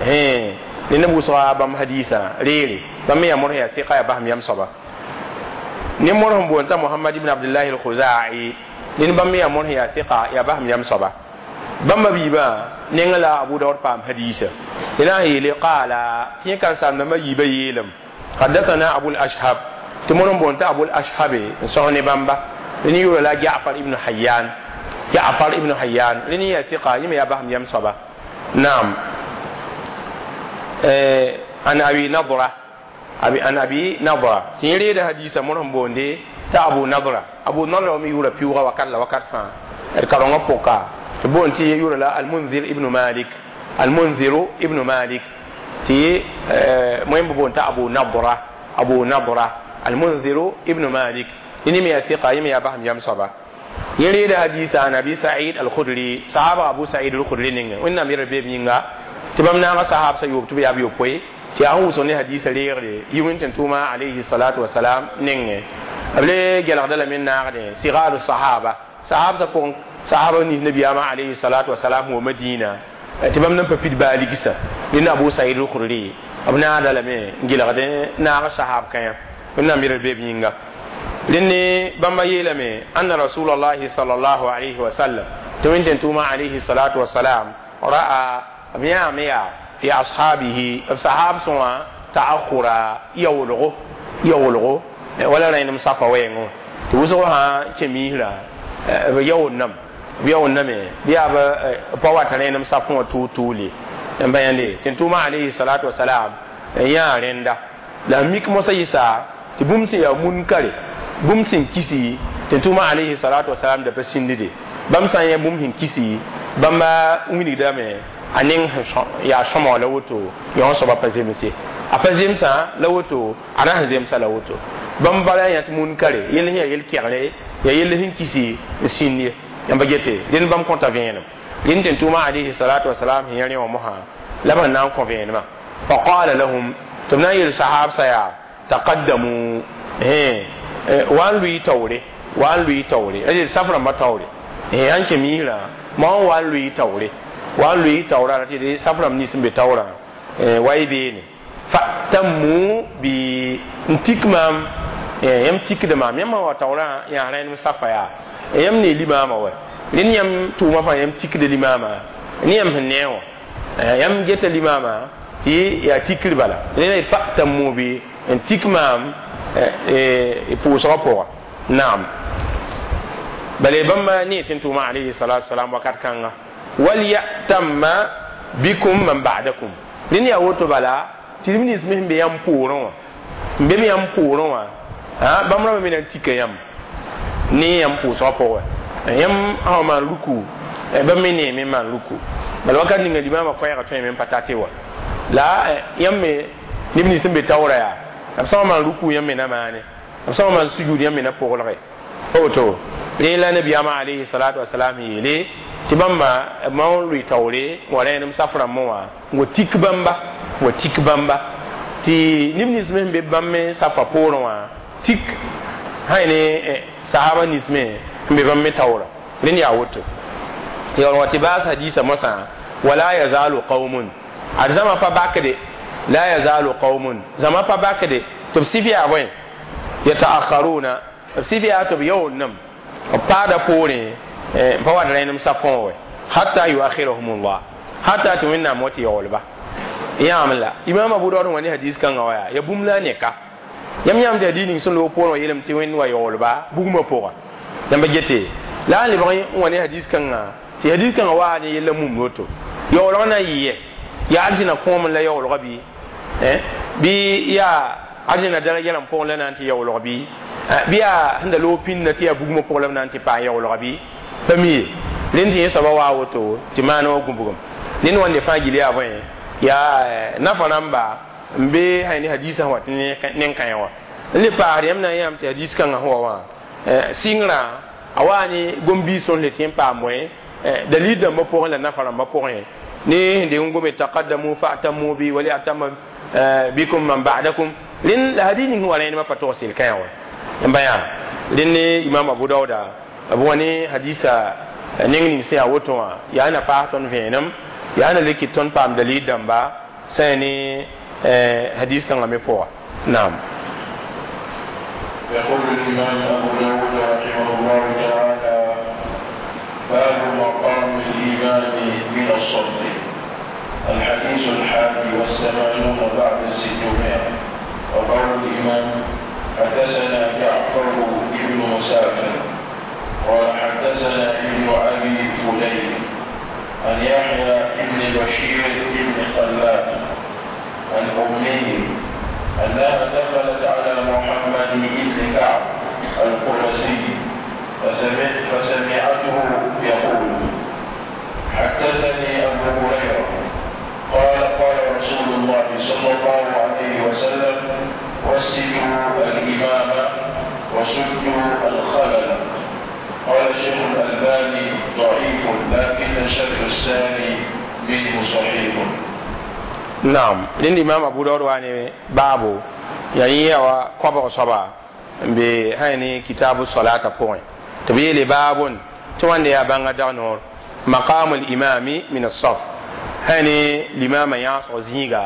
ne neb wʋsga bãmb hadisa reere bãmb me yaa mor yaa sɩka yaa basem yam soaba ne mor sẽn boond t'a mohamad ibn abdullahi al-khuzai ned bãmb me yaa mor sẽn yaa sɩka yaa basem yam soaba bãmba biibã nengã la abu daud paam hadisa d na n yeele qaala tɩ yẽ karen-saamdãmbã yiibã yeelem حدثنا أبو الأشهب تمرن بونتا أبو الأشهب n sõs ne bãmba rẽnd yʋʋra la جعفر ibn حيان جعفر ibn حيان rẽnd yaa sɩka yẽ me yaa basem yam soaba naam عن أبي نضرة أبي عن أبي نضرة tɩ yẽ reeda hadisa mor sẽn boonde t'a abu nadra abu nadra me yʋʋra piʋʋga wakat la wakat fãa d karengã pʋka tɩ boond tɩ yʋʋra la almunzir ibn malik almunzir ibn malik tɩ moẽmb boond t'a abu nadra abu nadra almunzir ibn malik yẽ me yaa sɩka yẽ me yaa basem yam soaba yẽ reeda hadisa an abi said al-khudri sahaba abu said al-khudri ninga wẽnnaam yɛra beeb yĩnga tɩ bãmb naaga sahab sa yoob tɩ b yaa b yopoe tɩ yaa sẽn wʋsg ne hadisa reegre yi wẽn tʋʋma alayhi salatu wasalam nengẽ b le gelgda lame n naagdẽ sigaru sahaba sahab sa pʋgẽ sahaba nins nabiyaamã alayhi salatu wasalam wa madina tɩ bãmb nan pa pid baa ligsã rẽnd abu said al-khudri b naagda lame n gelgd naag sahab kãyã wẽnnaam yɛra beeb yĩnga rẽnd bãmba yeelame anna rasulallahi sallallahu alayhi wa sallam tɩ wẽn tʋʋma alayhi salatu wasalam ra'a b yãame yaa fi ashabihi b sahab sõa ta'akhura yaoolgo yaoolgo wala rẽnem safa wɛɛngẽ tɩ wʋsg sã kẽ miisrã b yaool-nam b yaool-name bɩ yaa b pa wat rẽnem safẽ wã tʋʋl-tʋʋle n ba yãnde tɩ tʋʋma alayhi salatu wasalam n yãa rẽnda la mik mosã yɩsa tɩ bũmb sẽn yaa munkare bũmb sẽn kisi tɩ tʋʋma alayhi salatu wasalam da pa sĩndde bãmb sã n yã bũmb sẽn kisi bãmba wilgdame a neng yaa sõmg la woto yõ soaba pa zemse a pa zemsã la woto a na sẽn zemsa la woto bãmb bala yã tɩ munkare yell sẽn yaa yel-kɛgre yaa yell sẽn kisi n sĩnd ye yãmba gete rẽnd bãmb kõta vẽenem rẽnd tɩ tʋʋma alayhi salatu wasalam sẽn yã rẽ wã mosã la b sẽn na n kõ vẽenemã faqala lahum tɩ b na n yel sahabsã yaa taqaddamu wa n lʋɩ taoore wa n lʋɩ taoore a saf rãmbã taoore sãn kẽ miisrã ma n wa n lʋɩ taoore wa n lʋɩ taoorã tɩ saf rãmb nins n be taoorã wa y beene fa'tammu bi n tik maam yãmb tikda maam yãmb wa taoorã yaa rẽnem safa yaa yãmb ne limaamã wa rẽnd yãmb tʋʋmã fãa yãmb tikda limaamã ne yãmb sẽn nee wã yãmb geta limaamã tɩ yaa tikr bala rẽnd fa'tammu bi n tik maam pʋʋsgã pʋga naam bala bãmba ne tɩ n tʋʋma alayhi salatu wasalam wakat kãnga walyatamma bikum man ba'dakum rẽnd yaa woto bala tɩ b nins me sẽn be yãmb poorẽ wã n be me yãmb poorẽ wã bãmb rãmbã me na n tika yãmb ne yãmb pʋʋsgã pʋgẽ yãmb sã maan ruku bãmb me neeme n maan ruku bala wakat ninga limaamã koɛɛgã tõe me n pa tate wa la yãmb me neb nins sẽn be taoora yaa b sã n maan ruku yãmb me na maane b sã n maan sujud yãmb me na pʋglge pa woto rẽ la nabiyaamã alayhi salatu wasalam yeele tɩ bãmba ma n lʋɩ taoore wa rẽenem saf rãmbẽ wã n wa tik bãmba wa tik bãmba tɩ neb nins me sẽn be bãmb me safa poorẽ wã tik sã ne sahaba nins me n be bãmb me taoora rẽnd yaa woto yaool wa tɩ baas hadisa mosã wala yazalu qaumun ad zãma pa bakde la yazalu qaumun zãma pa bakde tɩ b sɩf yaa bõe yataakharuna b sɩf yaa tɩ b yaool-nem b paada poorẽ n pa wat rẽenem safẽ wã hatta yuakhirahum llah hatta tɩ wẽnnaam wa tɩ yaoolba yãam la imam abu daud wã ne hadis kãngã wa yaa ya bũmb la a neka yãmb yãmb tɩ hadis ning sẽn loog poorẽ wã yeelame tɩ wẽnd wa yaoolba bugmã pʋga yãmba gete la a lebg n wa ne hadis kãngã tɩ hadis kãngã waa ne yella mum woto yaoolg na n yɩ yaa arzĩna kõom la yaoolga bɩ bɩ yaa arzĩna daraja rãmb pʋgẽ la na n tɩ yaoolg bɩ Bɩ yaa sẽn da loog pĩnda tɩ yaa bugmã pʋg la b na n tɩ paam yaoolga bɩ pa mi ye. Rẽnd tɩ yẽ soaba waa woto tɩ maan wã gũbgem ned wãnde fãa gill yaa bõe yaa nafa rãmba n be sã ne hadiisã sẽn wat nen-kãe wã n le paasd yãmb na n yãam tɩ hadiis kãngã sẽn wa wã sɩngrã a waa ne gom-biis tõnd le tɩ n paam bõe dalil dãmbã pʋgẽ la nafa rãmbã pʋgẽ ne sẽn deng n gome taqaddamu fa'tamu bi waliyatama bikum man ba'dakum. Rẽnd la hadis ning sẽn wa rẽedmã pa tog sel kãe wã n ba yaa rẽnd ne imam Abu Dauda b wa ne hadisa neng ning sẽn yaa woto wã yaa na paas tõnd vẽenem yaa na le kɩt tõnd paam dalil dãmba sã ne hadis kãngã me pʋga. Naam. يقول الإمام أبو داود رحمه الله تعالى: باب مقام الإمام من الصف. الحديث الحادي والثمانون بعد الستمائة. وقول الإمام: حدثنا جعفر بن مسافر قال حدثنا ابن أبي فديك عن يحيى بن بشير بن خلاد عن أمه أنها دخلت على محمد بن كعب القرزي فسمع فسمعته يقول: حدثني أبو هريرة قال: قال رسول الله صلى الله عليه وسلم: وسدوا الإمام وسدوا الخلل. قال الشيخ الألباني: ضعيف، لكن الشرط الثاني منه صحيح. Naam, rẽnd imam Abu Daud wa ne baabo yaa yẽ yaa wa koabg soaba n be sã ne kitabu solata pʋgẽ tɩ b yeele baabon tɩ wãnde yaa bãnga dag noor maqamu limami min asaf sã ne limama yãasg zĩiga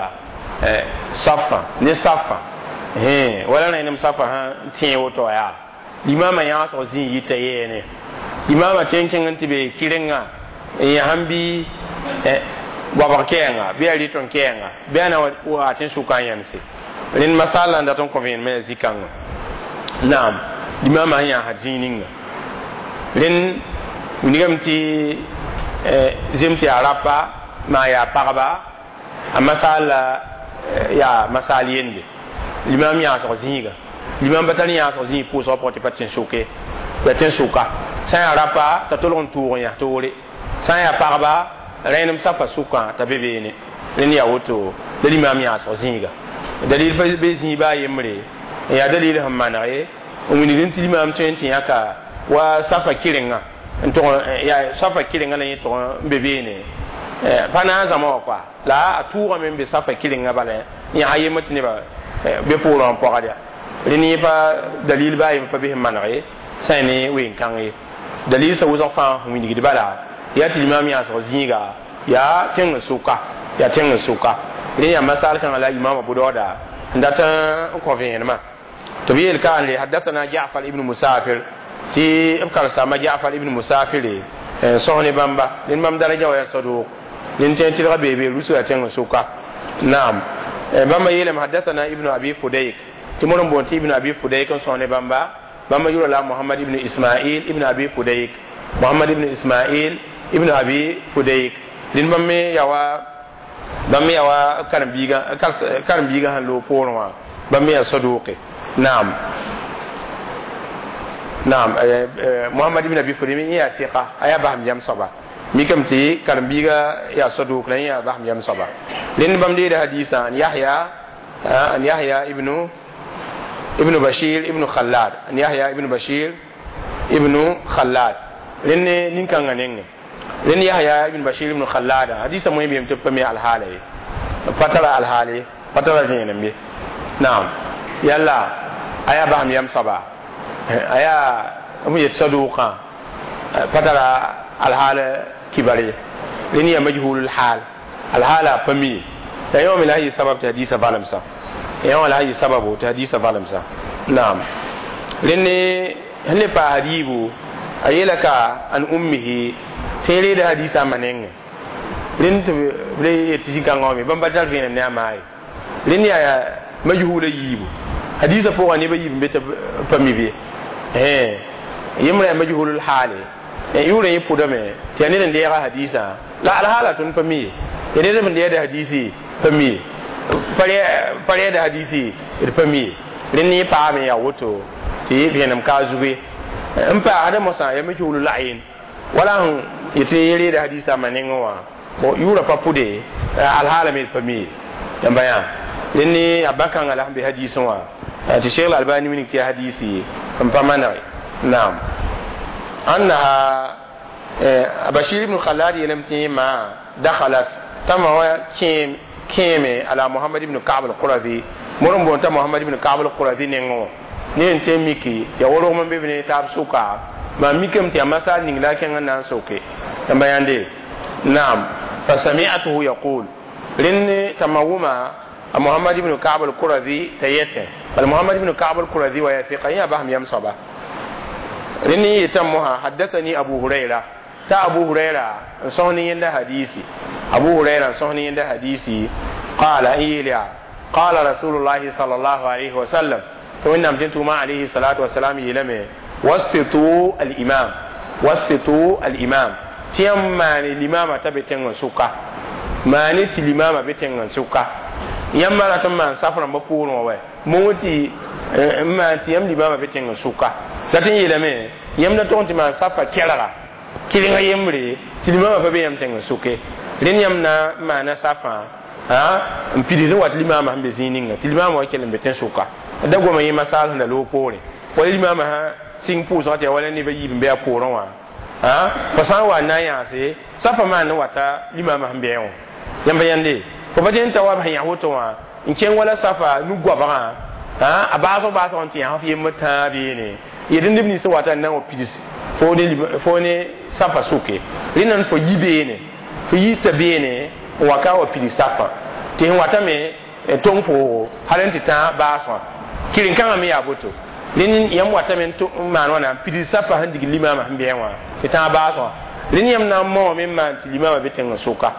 safã ne safã wala rẽnem safã sã tẽe woto yaa limama yãasg zĩig yita yeene limama tõe n kẽng n tɩ be kɩrenga n yãsem bɩ goabg kɛɛnga bɩ a rɩt n kɛɛnga bɩ a na wa tɩ n sʋka n yẽmse. Rẽnd masal n dat n kõ vẽenemã yaa zĩ-kãngã. Naam, limama sẽn yãasd zĩig ninga rẽnd wilgame tɩ zem tɩ yaa rapa maa yaa pagba a masal la yaa masal yende limam yãasg zĩiga limam pa tar yãasg zĩig pʋʋsgã pʋgẽ tɩ pa tɩ n sʋke ya tɩ n sʋka sã n yaa rapa t'a tolg n tʋʋg n yãs toore sã n yaa pagba rẽenem safa sʋkã t'a be beene. Rẽnd yaa woto la limam yãasg zĩiga dalil pa be zĩig baa yembre n yaa dalil sẽn maneg n wilgd tɩ limam tõe n tɩ yãka wa safa kɩrenga n tʋg yaa safa kɩrenga la yẽ tʋg n be beene pa na n zãma wã koa la a tʋʋgame n be safa kɩrenga bala yãs yembr tɩ nebã be poorã n pɔgd ya. Rẽnd yẽ pa dalil baa yembr pa be sẽn maneg ye sã n ne ween-kãng ye dalil sã wʋsg fãa sẽn wilgd bala yaa tɩ limam yãasg zĩiga yaa tẽng sʋka yaa tẽng sʋka. Rẽ yaa masal kãngã la imam Abu Dauda n dat n kõ vẽenemã tɩ b yeel ka n le haddathana Jafar ibn Musafir tɩ b karsama Jafar ibn Musafir n sõs ne bãmba rẽnd bãmb daraja wa yaa sadʋʋk rẽnd tẽ tɩlga beebe rusu yaa tẽng sʋka. Naam, bãmba yeelame haddathana ibnu Abi Fudayk tɩ mod n boond tɩ ibnu Abi Fudayk n sõs ne bãmba. Bãmba yʋra la Mohamad ibn Ismail ibn Abi Fudayk, Mohamad ibn Ismail ibn Abi Fudayk. Rẽnd bãmb me yaa wa bãmb me yaa wa karen-biigã karen-biigã sẽn loog poorẽ wã bãmb me yaa sadʋʋke. Naam, naam, Mohamad ibn Abi Fudayk yẽ yaa tɩka a yaa basem yam soaba mikame tɩ karen-biigã yaa sadʋʋk la yẽ yaa basem yam soaba. Rẽnd bãmb deeda hadiisã an Yahya an Yahya ibnu ibnu Bashir ibnu Khallad an Yahya ibnu Bashir ibnu Khallad. Rẽnd ne nin-kãngã nengẽ rẽnd Yahya ibn Bashir ibn Khallad hadisa moẽ beem tɩ b pa me alhaala ye pa tara alhaal ye pa tara vẽenem ye. Naam, yalla a yaa basem yam soaba a yaa b yet sadʋʋkã pa tara alhaal kibar ye rẽnd yaa majhulul haal alhaala pa mi ye la yõ me la yɩ sabab tɩ hadisa valemsã yõ la yɩ sababu tɩ hadisa valemsã. Naam, rẽnd ne sẽn le paas yiibu a yeela ka an ummihi tɩ reeda hadisa ma nengẽ rẽnd tɩ b le yet zĩ-kãngã wã me bãmb pa tar vẽenem ne a maa ye rẽnd yaa majhula yiibu hadisa pʋgã nebã yiib n be tɩ pa mi be yembrã yaa majhulul haale yʋʋrã yẽ pʋdame tɩ yaa ned n deega hadisã la alhaala tõnd pa mi ye ya ned n deeda hadisi pa mi ye pa rɛɛda hadisi d pa mi ye. Rẽnd yẽ paame yaa woto tɩ Tɩ vẽenem ka a zugu n paasda mosã ya majhulu layin wala sẽn yetɩ reeda hadisa ma nengẽ wã bon yʋʋra pa pʋde alhaala me pa mi yãmba yã rẽ ne a bãkãngã la sẽn be hadisẽ wã tɩ Cheikh Albani wilg tɩ yaa hadisi n pa manege naam annaha Bashir ibn Khalad yeelame tɩ ma dakhalat tama wa kẽeme ala Muhammad ibn Ka'b al-Qurazi mor n boond t'a Muhammad ibn Ka'b al-Qurazi nengẽ wã ne n tẽ miki tɩ ya worgm n be b ne taab sʋka maa mikame tɩ yaa masal ning la a kẽng n na n soke yãmba yãnde naam fasami'atuhu yaqul rẽnd t'a ma wʋma a Muhammad ibn Ka'b al-Qurazi t'a yetẽ bal Muhammad ibn Ka'b al-Qurazi wa ya fiqa yã basem yam soaba rẽnd n yetame mosã haddathani Abu Huraira ta Abu Huraira n sõs ne yẽnda hadisi Abu Huraira n sõs ne yẽnda hadisi qala n yeel yaa qala rasulullahi sallallahu alayhi wa sallam tɩ wẽnnaam tɩ tʋʋma alayhi salatu wasalam yeelame wasitu al-imam wasitu al-imam tɩ yãmb maane limama t'a be tẽng n sʋka maane tɩ limama be tẽng n sʋka yãmb rat n maan saf rãmbã poorẽ wã wɛ moongẽ tɩ n maan tɩ yãmb limama be tẽng n sʋka la tɩ n yeelame yãmb da tog n tɩ maan safa kɛrga kɩrengã yembre tɩ limama pa be yãmb tẽng n sʋke rẽnd yãmb na n maana safã n pidsd n wat limama sẽn be zĩig ninga tɩ limama wa kell n be tẽn sʋka da goma yẽ masal sẽn da loog poorẽ wala limama sã sɩng pʋʋsgã tɩ yaa wala neb a yiib n be a poorẽ wã fo sã n wa n na n yãase safa maan n wata limama sẽn be wã yãmba yãnde fo pa tẽn t'a wa b sẽn yã woto wã n kẽng wala safa nu-goabgã a baasg baasg n tɩ yãs f yembr tãa beene yetɩ neb nins wata n na n wa pids fo ne safa sʋke rẽnda n fo yi beene fo yita beene n wa ka wa pids safã tɩ sẽn watame tong pʋʋgo hal n tɩ tã baasgã kɩren-kãngã me yaa boto rẽnd yãmb watame n maan wãna pids safa sẽn dig limama sẽn bɩ wã tɩ tã baasgã rẽnd yãmb na n maoome n maan tɩ limama be tẽng n sʋka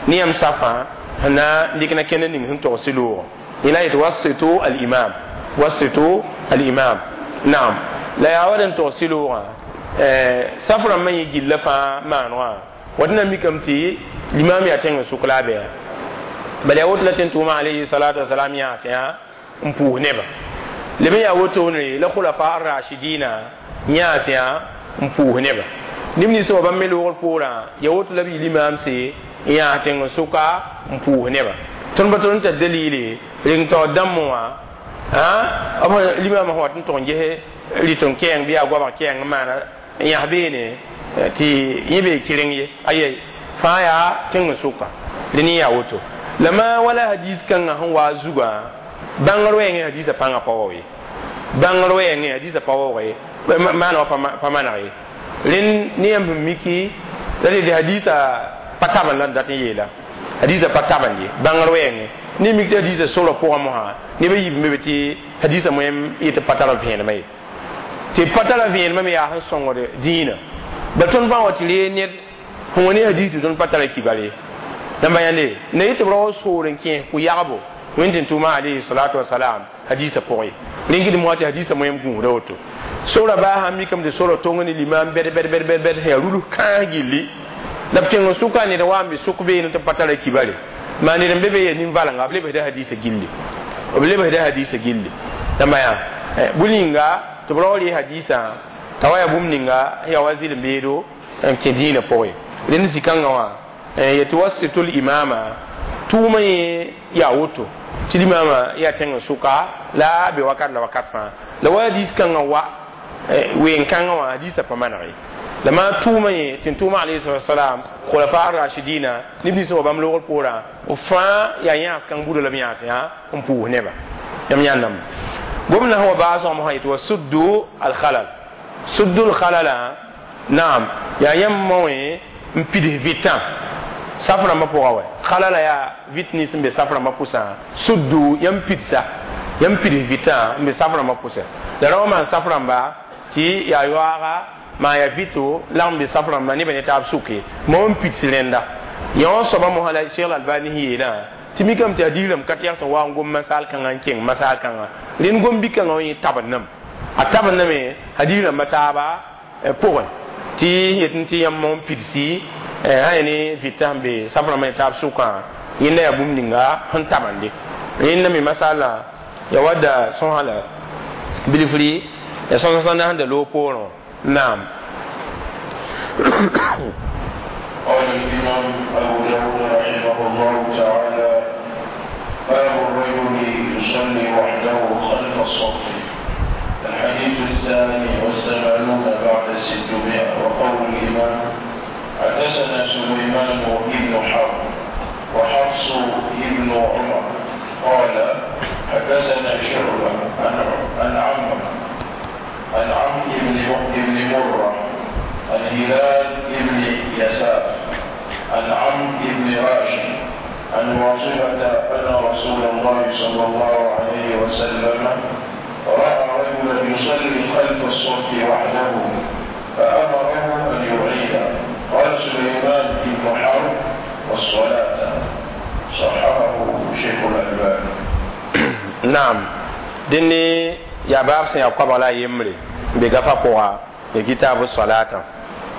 ne yãmb safã sẽn na n dɩk na kẽnd ning sẽn togs loogã yẽla yetɩ wasitu al-imam wasitu al-imam naam la yaa wa d n togs loogã saf rãmbã yẽ gilla fãa maan wã wat na mikame tɩ limam yaa tẽng n sʋk la a bɛa bala yaa woto la tẽn tʋʋma alayhi salatu wasalam yãas yã n pʋʋs nebã leb n yaa wotone la khulafa rashidina yãas yã n pʋʋs nebã neb nins wa bãmb me loogr poorã ya woto la b yɩ limaamse n yãas tẽng n sʋka n pʋʋs nebã tõnd pa tõnd n tar dalile reng taoor dãmb wã b limaamã sẽn wat n tʋg n ges rɩt n kɛɛng bɩ yaa goabg kɛɛng n maana n yãs beene tɩ yẽ bee kɩreng ye ayɛ fãa yaa tẽng n sʋka rẽ yaa woto la maa wala hadis kãngã sẽn wa a zugã bãngr wɛɛngẽ hadisa pãngã pa waoog ye bãngr wɛɛngẽ hadisa pa waoog ye maana wa pa maneg ye rẽnd ne yãmb sẽn miki la tɩ hadisa pa tabend la n dat n yeela hadisa pa tabend ye bãngr wɛɛngẽ ne mik tɩ hadisa sorã pʋgã mosã neb a yiib n be be tɩ hadisa moẽm yetɩ pa tar vẽenemã ye tɩ pa tara vẽenemã me yaa sẽn sõngd dĩinã bal tõnd fãa wa tɩ ree ned sẽn wa ne hadis tɩ tõnd pa tara kibar ye yãmba yãnde na yetɩ b rao soor n kẽes kʋ-yagbo wẽnd tɩ tʋʋma alayhi salatu wasalam hadisa pʋgẽ rẽn gɩdem wa tɩ hadisa moẽm gũusda woto sora baa sãn mikame tɩ sora tong ne limam bɛd bɛd bɛd bɛd bɛd sẽn yaa rulus kãas gilli la b tẽng n sʋka ned wa n be sʋk beene tɩ pa tara kibare maa ned n be be ya nin-valenga b lebsda hadisa gilli b lebsda hadisa gilli yãmba yã bũmb ninga tɩ b rao rɩ hadisã t'a wa yaa bũmb ninga yaa wa zɩlem beedo n kẽ dĩinã pʋgẽ rẽnd zĩ-kãngã wã yetɩ wasitul imama tʋʋmã yẽ yaa woto tɩ limama yaa tẽng n sʋka la a be wakat la wakat fãa la wa hadis kãngã wa ween-kãngã wã hadisã pa maneg ye la maa tʋʋmã yẽ tɩ n tʋʋma alayhi salam khulafa rashidina neb nins wa bãmb loogr poorã b fãa yaa yãas kãng buda la b yãas yã n pʋʋs nebã yãmb yãndame gomdã sẽn wa baasgã mosã yetɩ wa suddu alkhalal suddu alkhalala naam yaa yãmb maoẽ n pids vɩtã saf rãmbã pʋga wɛ khalala yaa vɩt nins n be saf rãmbã pʋsã suddu yãmb pidsa yãmb pids vɩtã n be saf rãmbã pʋsã la rao maan saf rãmba tɩ yaa yoaaga maa yaa vɩto lagm be saf rãmba nebã ne taab sʋke ma n pids rẽnda yã wã soaba mosã la Cheikh Albani sẽn yeelã tɩ mikame tɩ hadis rãmb ka tɛgs n wa n gom masaal kãngã n kẽng masaal kãngã rẽnd gom-bi-kãngã wã yẽ tabendame a tabendame hadis rãmbã taaba pʋgẽ tɩ yetɩ tɩ yãmb n pidsi sã ne vɩtã sẽn be saf rãmbã ne taab sʋkã yẽnda yaa bũmb ninga sẽn tabende rẽnda me masala ya wadda sõsa la bilfri Ya sõs sẽn na sẽn da loog poorẽ naam. قال الإمام أبو داود رحمه الله تعالى: باب الرجل يصلي وحده خلف الصف. الحديث الثاني والثمانون بعد الستمائة. وقول الإمام: حدثنا سليمان بن حرب وحفص بن عمر قال: حدثنا شعبة عن عمرو عن عمرو بن مرة عن هلال بن يساف عن عمرو بن راشد عن واصلة أن رسول الله صلى الله عليه وسلم رأى رجلا يصلي خلف الصف وحده فأمره أن يعيد. قال سليمان بن حرب: والصلاة. صححه شيخ الألباني. نعم دني يا باب سن يقبل لا يمري بغفا قوا كتاب الصلاة.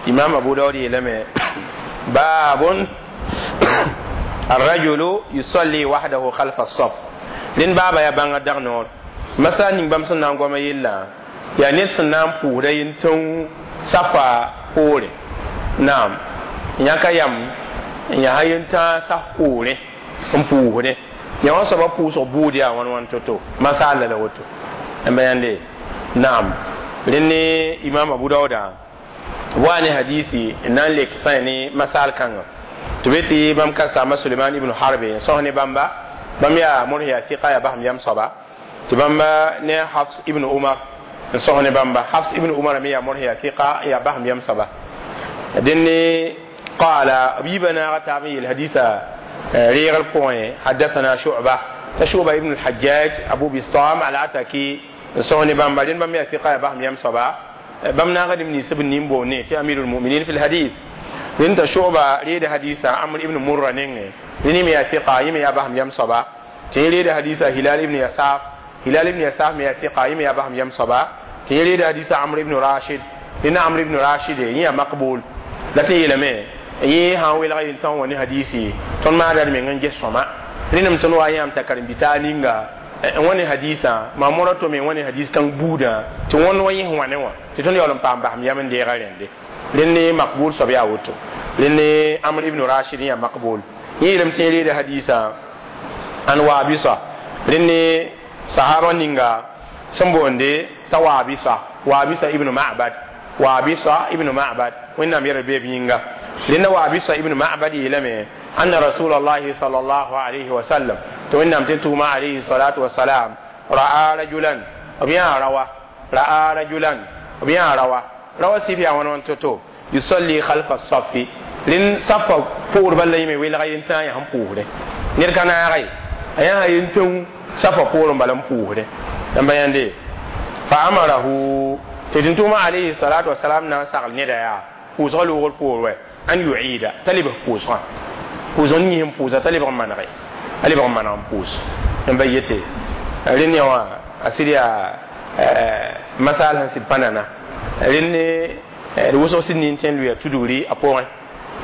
إمام أبو داود يلمي باب الرجل يصلي وحده خلف الصف. لين بابا يا بانغ دغنور مسا نين بام سن نانغوما يلا يا نيت سن نان پودا ينتون صفا پوري. نعم يانكا يام يا هاينتا صف پوري ام پوري يا وصبا پوسو بوديا وان وان توتو مسا لا وتو ام بياندي. نعم لين إمام أبو داود واني حديثي نان لك ساني مسال كان تبتي بام كسام سليمان ابن حرب صهني بامبا بام يا مرهيا ثقة يا بهم يام صبا تبامبا نه حفص ابن عمر صهني بامبا حفص ابن عمر ميا مرهيا ثقة يا بهم يام صبا دني قال أبيبنا غتامي الحديث ريغ البوين حدثنا شعبة تشعبة ابن الحجاج أبو بسطام على عتاكي صهني بامبا دين بام يا ثقة يا بهم يام صبا بام ناغد من سب نيمبو ني تي امير المؤمنين في الحديث لين تشوبا ريد حديثا عمرو ابن مره نين ني مي ثقه يمي يا بهم يم صبا تي ريد حديثا هلال ابن يساف هلال ابن يساف مي ثقه يمي يا بهم يم صبا تي ريد حديثا عمرو ابن راشد لين عمرو ابن راشد يا مقبول لا تي لمي يي ها ويل غين تون وني حديثي تون ما دار مي نجي سوما لين متون وا يام تكرم بتانينغا wani hadisa ma mora to me wani hadis kan buda ti won wani hwane wa ti ton yolon pam baham yamen de garende lenne maqbul sob ya woto lenne amr ibn rashid ya maqbul ni lam tin de hadisa an wabisa lenne sahaba ninga sambonde tawabisa wabisa ibn ma'bad wabisa ibn ma'bad winna mi rabe binga lenne wabisa ibn ma'bad yelame anna rasulullahi sallallahu alaihi wa sallam to wẽnnaam tɩ tʋʋma alayhi salatu wasalam ra'a rajulan b yã rawa ra'a rajulan b yã rawa rawa sif yaa wãn wãn to-to yusalli khalfa safi rẽnd safa poor bal la yẽme welga yentã yaa sẽn pʋʋsdẽ ned ka naage a yaa yentẽng safa poorẽ bala n pʋʋsdẽ n ba yãnde fa amarahu tɩ tɩ tʋʋma alayhi salatu wasalam na n sagl neda yaa pʋʋsgã loogr poor wɛ an yuida t'a lebg pʋʋsgã pʋʋsg ning sẽn pʋʋsa t'a lebg n manege ali ba mana pus n ba yete rẽnd wã a sɩd yaa masal sẽn sɩd pa nana rẽnd d wʋsg sɩd nin tẽ n lʋɩa tudgri a pʋgẽ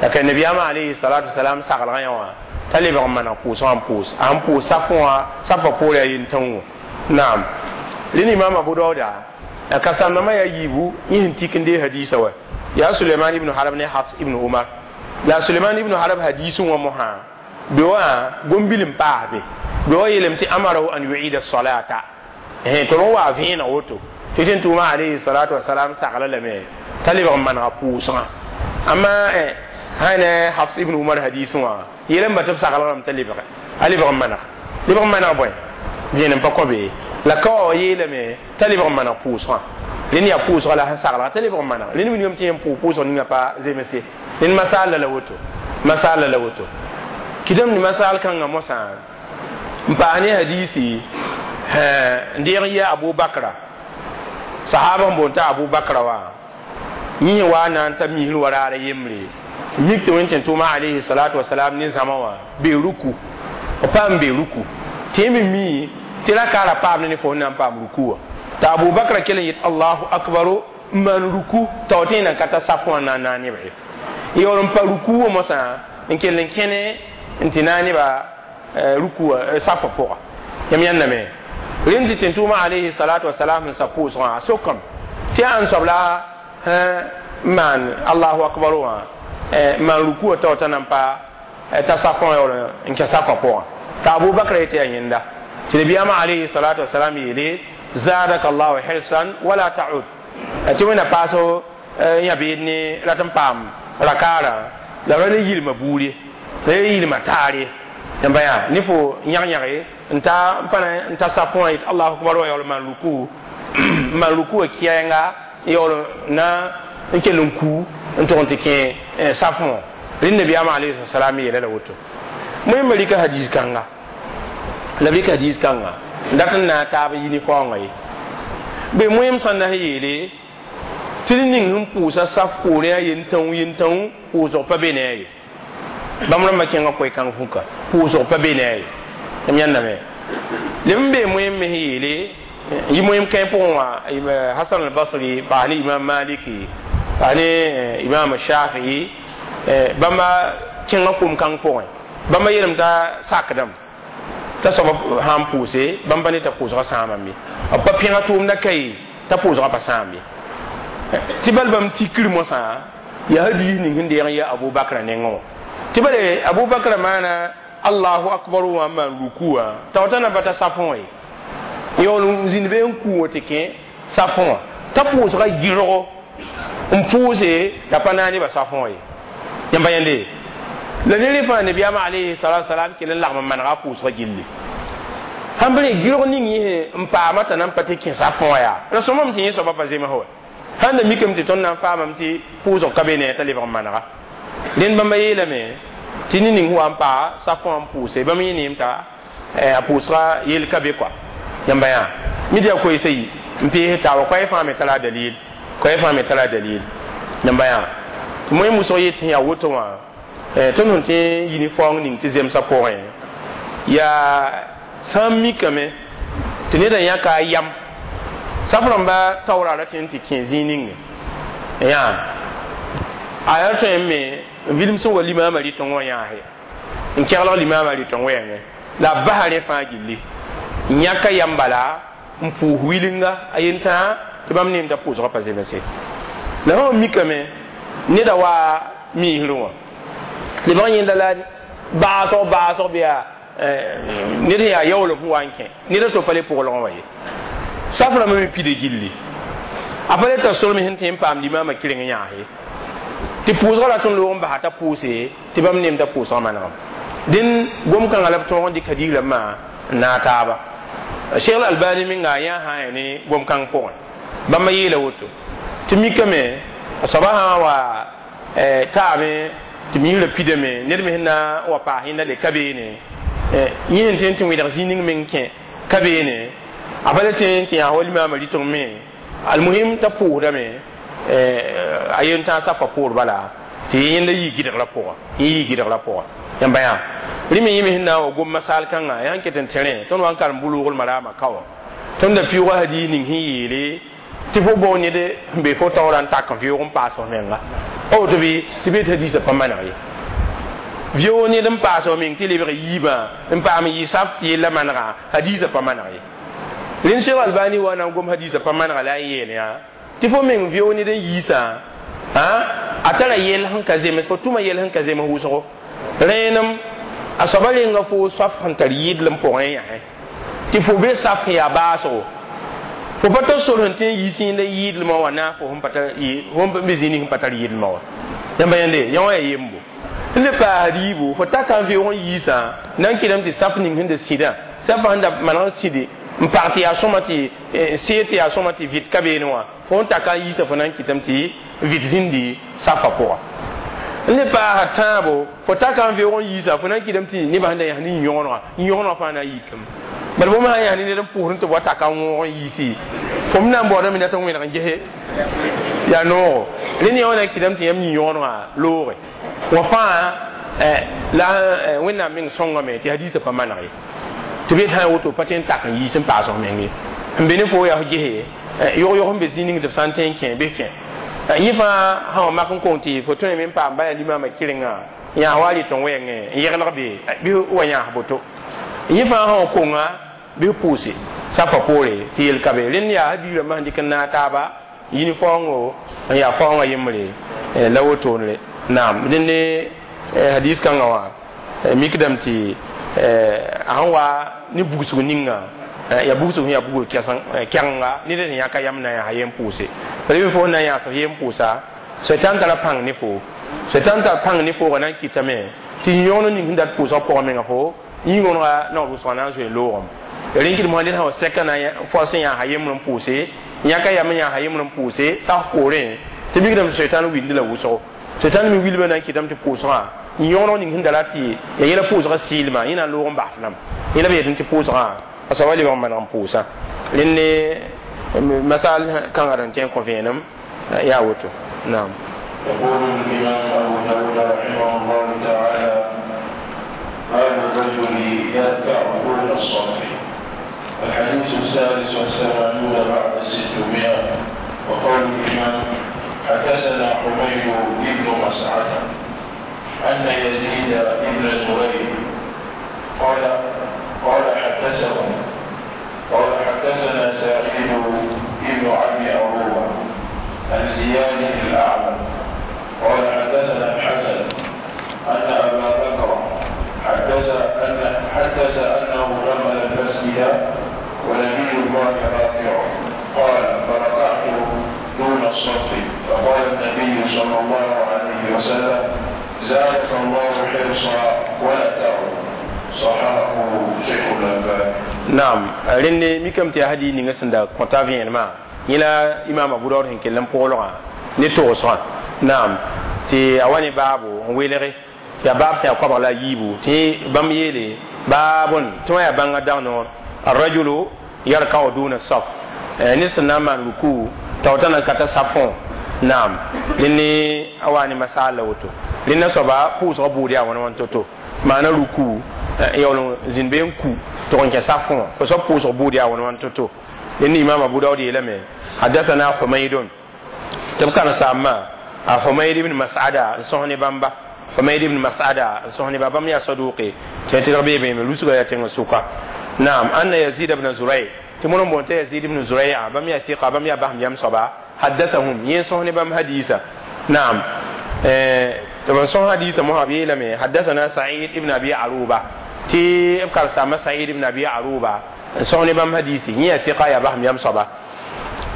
la ka nabiyaamã alayhi salatu wasalam saglgã yã wã t'a lebg n maneg pʋʋsgã n pʋʋs a sẽn pʋʋs safẽ wã safã poorã yaa yentãngã naam rẽnd imaam abu dauda a kasamdãmbã yaa yiibu yẽ sẽn tik n dee hadiisa wa yaa suleiman ibn harb ne hafs ibn umar la suleiman ibn harb hadiisẽ wã mosã be wã gom-bil n paas be be wa yeelame tɩ amarahu an yuida salata tɩ b wa vẽeneg woto tɩ tɩ n tʋʋma alayhi salatu wasalam sagla lame t'a lebg n manega pʋʋsgã amma sã ne hafs ibn umar hadisẽ wã yeelame ba tɩ b saglgrame t'a lebge a lebg n maneg lebg n maneg bõe vẽenem pa kõ be la ka wa yeelame t'a lebg n maneg pʋʋsgã rẽnd yaa pʋʋsga la sẽn saglga t'a lebg n maneg rẽnd wilgame tɩ yẽ pʋʋ pʋʋsg ninga pa zemse rẽnd masaal la woto masaal la woto kɩdem ne masal kãngã mosã n paas ne hadisi n deeg n yɩ abu bakra sahaba n boon t'a abu bakra wã yẽ wa na n ta misr wa raara yembre mik tɩ wẽn tɩ tʋʋma alayhi salatu wasalam ne zãma wã bee ruku b paam bee ruku tɩ yẽ me mi tɩ raka ra paam ne fo na n paam ruku wã t'a abu bakra kell n yet allahu akbaro n maan ruku t'a wa tɩ yẽ nan ka ta saf wã na n naag nebã ye yaool n pa ruku wã mosã n kell n kẽne n tɩ naag nebã ruku safã pʋga yam yãndame rẽnd tɩ tẽn-tʋʋmã alayhi salatu wasalam sẽn sa pʋʋsgã a sokame Tɩ yaa ãn soab la n maan Allahu akbar wã, n maan ruku tao t'a nan pa t'a safẽ wã yaool n kẽ safã pʋgã. T'a Abubakr yetɩ yaa yẽnda. Tɩ nabiyaamã alayhi salatu wasalam yeele: zadaka Allahu hirsan wala ta'ud. Tɩ wẽnna paas yã beed ne rat n paam rakaarã la ra le yilma buud ye, la le yilma taar ye. Yãmba yaa ne fo yãg-yãge n ta n pa na n ta safẽ wã yet Allahu akbar wã yaool n maan ruku, n maan ruku wã kɛɛnga yaool na n kell n ku n tʋg n tɩ kẽ safẽ wã. Rẽnd nabiyaamã alayhi salam yeela la woto. Moẽmba rɩka hadiis kãnga la b rɩka hadiis kãnga n dat n na n taab n yi ne faoongã ye. Bɩ moẽm sã n na n yeele tɩ d ning sẽn pʋʋsa saf poorẽ a yentãu yentãu pʋʋsg pa be ne a ye. Bãmb rãmbã kẽngã koe-kãng fũka pʋʋsg pa be ne a ye. M yãndame leb n bee moẽm me sẽn yeele yɩ moẽm kãe pʋgẽ wã Hasan al-Basri paas ne Imam Maliki, paas ne Imam Shafii. Bãmba kẽngã kom-kãng pʋgẽ bãmba yeelame t'a sakdame t'a soaba sã n pʋʋse bãmb pa ne t'a pʋʋsgã sãamame ye, b pa pẽga tʋʋmda ka ye t'a pʋʋsgã pa sãam ye. Tɩ bal bãmb tikr mosã yaa hadiis ning sẽn deeg n yaa Abubakra nengẽ wã. Tɩ bale Abubakra maana Allahu akbar wã n maan ruku wã t'a t'a na pa ta safẽ wã ye, yaool n zĩnd be n kuu wã tɩ kẽ safẽ wã t'a pʋʋsga gɩrgo n pʋʋse t'a pa na nebã safẽ wã ye. Yãmba yãnde la ne rẽ fãa nabiyaamã alayhi salatu wasalam kell n lagm n manega a pʋʋsga gilli sãn b re gɩrg ning yẽ n paama t'a na n pa tɩ kẽ safẽ wã yaa la sõmame tɩ yẽ soaba pa zems wa. Sãn da mikame tɩ tõnd na n faamame tɩ pʋʋsg ka be ne t'a lebg n manega. Rẽnd bãmba yeelame tɩ ne ning wa n paa safẽ wã n pʋʋse bãmb yẽ neem t'a a pʋʋsga yel ka be kɔa. Yãmba yã mid yaa koeesa yi n pees taaba koɛɛ fãa me tara dalil, koɛɛ fãa me tara dalil. Yãmba yã tɩ moẽ wʋsg yet sẽn yaa woto wã tõnd sẽn tɩ yi ne faoong ning tɩ zemsã pʋgẽ yaa sã n mikame tɩ neda yãka a yam saf rãmba taoora ra tẽ n tɩ kẽ zĩig ninge yã a yaa tõe n me n vilem sẽn wa limaamã rɩtẽ wã yãase n kɛglg limaamã rɩtẽ wɛɛngẽ la a basa rẽ fãa gilli n yãka yam bala n pʋʋs wilinga a yentã tɩ bãmb neem t'a pʋʋsgã pa zemse. La sã mikame neda wa miisrẽ wã lebg n yẽnda la baasg baasg bɩ yaa ned sẽn yaa yaoolem sẽn wa n kẽ ned a to pa le pʋglgẽ wã ye. Saf rãmbã me pida gilli a pa le tar solem sẽn tõe n paam limaamã kɩreng yãase tɩ pʋʋsgã rat n loog n basa t'a pʋʋse tɩ bãmb neem t'a pʋʋsgã manegem. Dẽn gom-kãngã la b tõog n dɩk hadiis rãmbã n naag taaba. Cheikh Albani menga a yã sã n ya ne gom-kãng pʋgẽ bãmba yeela woto tɩ mikame a soaba sã n wa taame tɩ miisrã pidame ned me sẽn na n wa paas yẽnda le ka beene yẽ sẽn tõe n tɩ wẽdg zĩig ning meng kẽ ka beene a pa le tõe n tɩ yãas wa limaamã rɩteng me almuhim t'a pʋʋsdame a yen tãag sapa poor bala tɩ yẽnda yɩ gɩdgrã pʋga, yẽ yɩ gɩdgrã pʋga. Yãmba yã rẽ me yẽ me sẽn na n wa gom masaal kãngã yaa n ket n tẽrẽ tõnd wa n karem bulgl maraamã ka wã tõnd da pɩʋʋga hadiis ning sẽn yeele tɩ fo bao ned sẽn be fo taoorã n tak n vɩʋʋg n paas f menga pa woto bɩ tɩ be tɩ hadiisã pa maneg ye. Vɩoog ned n paas f meng tɩ lebg yiibã n paam yɩ saf tɩ yella manega hadiisã pa maneg ye. Rẽnd Cheikh Albani wa na n gom hadiisã pa manega la a yeel yã tɩ fo meng vɩoog ned n yiisã a tara yell sẽn ka zems fo tʋma yell sẽn ka zems wʋsgo rẽenem a soaba renga fo saf sẽn tar yɩdlem pʋgẽ yãsẽ tɩ fo be saf sẽn yaa baasgo fo pa tar sor sẽn tõe n yiis yẽnda yɩɩdlmã wã naag fo sẽn be zĩig ning sẽn pa tar yɩdlmã wã. Yãmba yãnde yã wã yaa yembo n le paasd yiibu fo taka n vɩoog n yiisã na n kɩdame tɩ saf ning sẽn da sĩdã safã sẽn da maneg n sĩde n pag tɩ yaa sõma tɩ seed tɩ yaa sõma tɩ vɩt ka beene wã fo n taka n yiisã fo na n kɩtame tɩ vɩt zĩndi safã pʋga. N le paasa tãabo fo taka n vɩoog n yiisã fo na n kɩdame tɩ nebã sẽn da yãs ne yõgenega yõgenega fãa na n yikame bala bõmb sã n yãs ne ned n pʋʋsd tɩ b wa taka n wõog n yiisi fo m na n baoodame dat n wẽneg n gese yaa noogo rẽnd yã wã na n kɩdame tɩ yãmb yĩ-yõgenegã looge wã fãa la Wẽnnaam meng sõngame tɩ hadiisã pa maneg ye tɩ b yet sã n woto pa tõe n tak n yiis n paas f meng ye n be ne fo yaa f gese yog-yog n be zĩig ning tɩ b sã n tõe n kẽ bɩ kẽ yẽ fãa sã wa mak n kong tɩ fo tõe me n paam bala limaamã kɩrenga yãas wa rɩt n wɛɛngẽ n yɛglg be bɩ wa yãas boto yẽ fãa sã wa konga bɩ pʋʋse safã poore tɩ yel ka be rẽnd yaa hadiis rãmbã sẽn dɩk n naag taaba Yini faoongo n yaa faoongã yembre la wotone naam. Dẽnde hadis kãngã wã mikdame tɩ a sẽn wa ne bugsg ninga ya bugsg sẽn yaa bugg kɛgenga ned sẽn yãka yam na n yaa yem pʋʋse. B fo na n yãas f yem pʋʋsa, Satan tara pãng ne fo, Satan tara pãng ne foogã na n kɩtame tɩ yõgen ning sẽn dat pʋʋsgã pʋgã menga fo yĩng-wõnega naoor wʋsgã na n zoe loogem. Rẽn kɩd mosã ned sã wa sɛka na fo sẽn yãasa yembr n pʋʋse, yãka yam n yãasa yembr n pʋʋse sak poorẽ tɩ mikdame tɩ Satan wildi la wʋsgo. Satan me wilbã na n kɩtame tɩ pʋʋsgã yõgeneg ning sẽn da rat tɩ ya yẽla pʋʋsgã sɩɩlmã, yẽ na n loog n bas lame. Yẽla b yetẽ tɩ pʋʋsgã a soaba lebg n maneg n pʋʋsa. Rẽnd masal kãngã d n tõe n kõ vẽenem yaa woto. Naam. يقول الإمام أبو داود رحمه الله تعالى: باب الرجل يركع دون الصف. الحديث الثالث والثمانون بعد ستمائة. وقول الإمام: حدثنا حميد بن مسعدة أن يزيد بن زريع قال قال حدثهم قال حدثنا سعيد بن أبي عروبة عن زياد الأعلم قال حدثنا الحسن أن أبا بكر حدث أن حدث أنه دخل المسجد ونبي الله راكع، قال: فركعت دون الصف، فقال النبي صلى الله عليه وسلم: زادك الله حرصا ولا تعد. صححه شيخ الألباني. Naam, rẽnd mikame tɩ yaa hadiis ninga sẽn da kõta vẽenemã yẽ la imaam Abu Daood sẽn kell n pʋglgã ne togsgã. Naam, tɩ a wa ne baabo n welge tɩ yaa baab sẽn yaa koabg la a yiibu tɩ bãmb yeele baabn tɩ wã yaa bãnga dag noor الرجل يركع دون الصف, ned sẽn na n maan ruku t'a wota na ka ta safõ. Naam, rẽnd a wa ne masaal la woto. Rẽnda soaba pʋʋsgã buud yaa wãn wãn to-to maana ruku yaool n zĩnd be n ku tɩg n kẽ safõ wã fo soab pʋʋsg buud yaa wãn wãn to-to. Rẽnd imam Abu Daood yeelame: حدثنا حميد, tɩ b karen-saambã a Humayd ibn Mas'ada n sõs ne bãmba. Humayd ibn Mas'ada n sõs ne ba, bãmb yaa saduqe tɩ tɩrg bee beeme lusga yaa tẽngã sʋka. Naam, anna Yazid ibn Zuray, tɩ mõr n boond t'a Yazid ibn Zuray, bãmb yaa ثقة, bãmb yaa basem yam soaba. حدثهم, yẽ sõs ne bãmb hadiisa. Naam, tɩ b sõs hadiisa mosã b yeelame: حدثنا سعيد ibn Abi Aruba, tɩ b karen-saambã Said ibn Abi Aruba n sõs ne bãmb hadiisi, yẽ yaa ثقة, yaa basem yam soaba.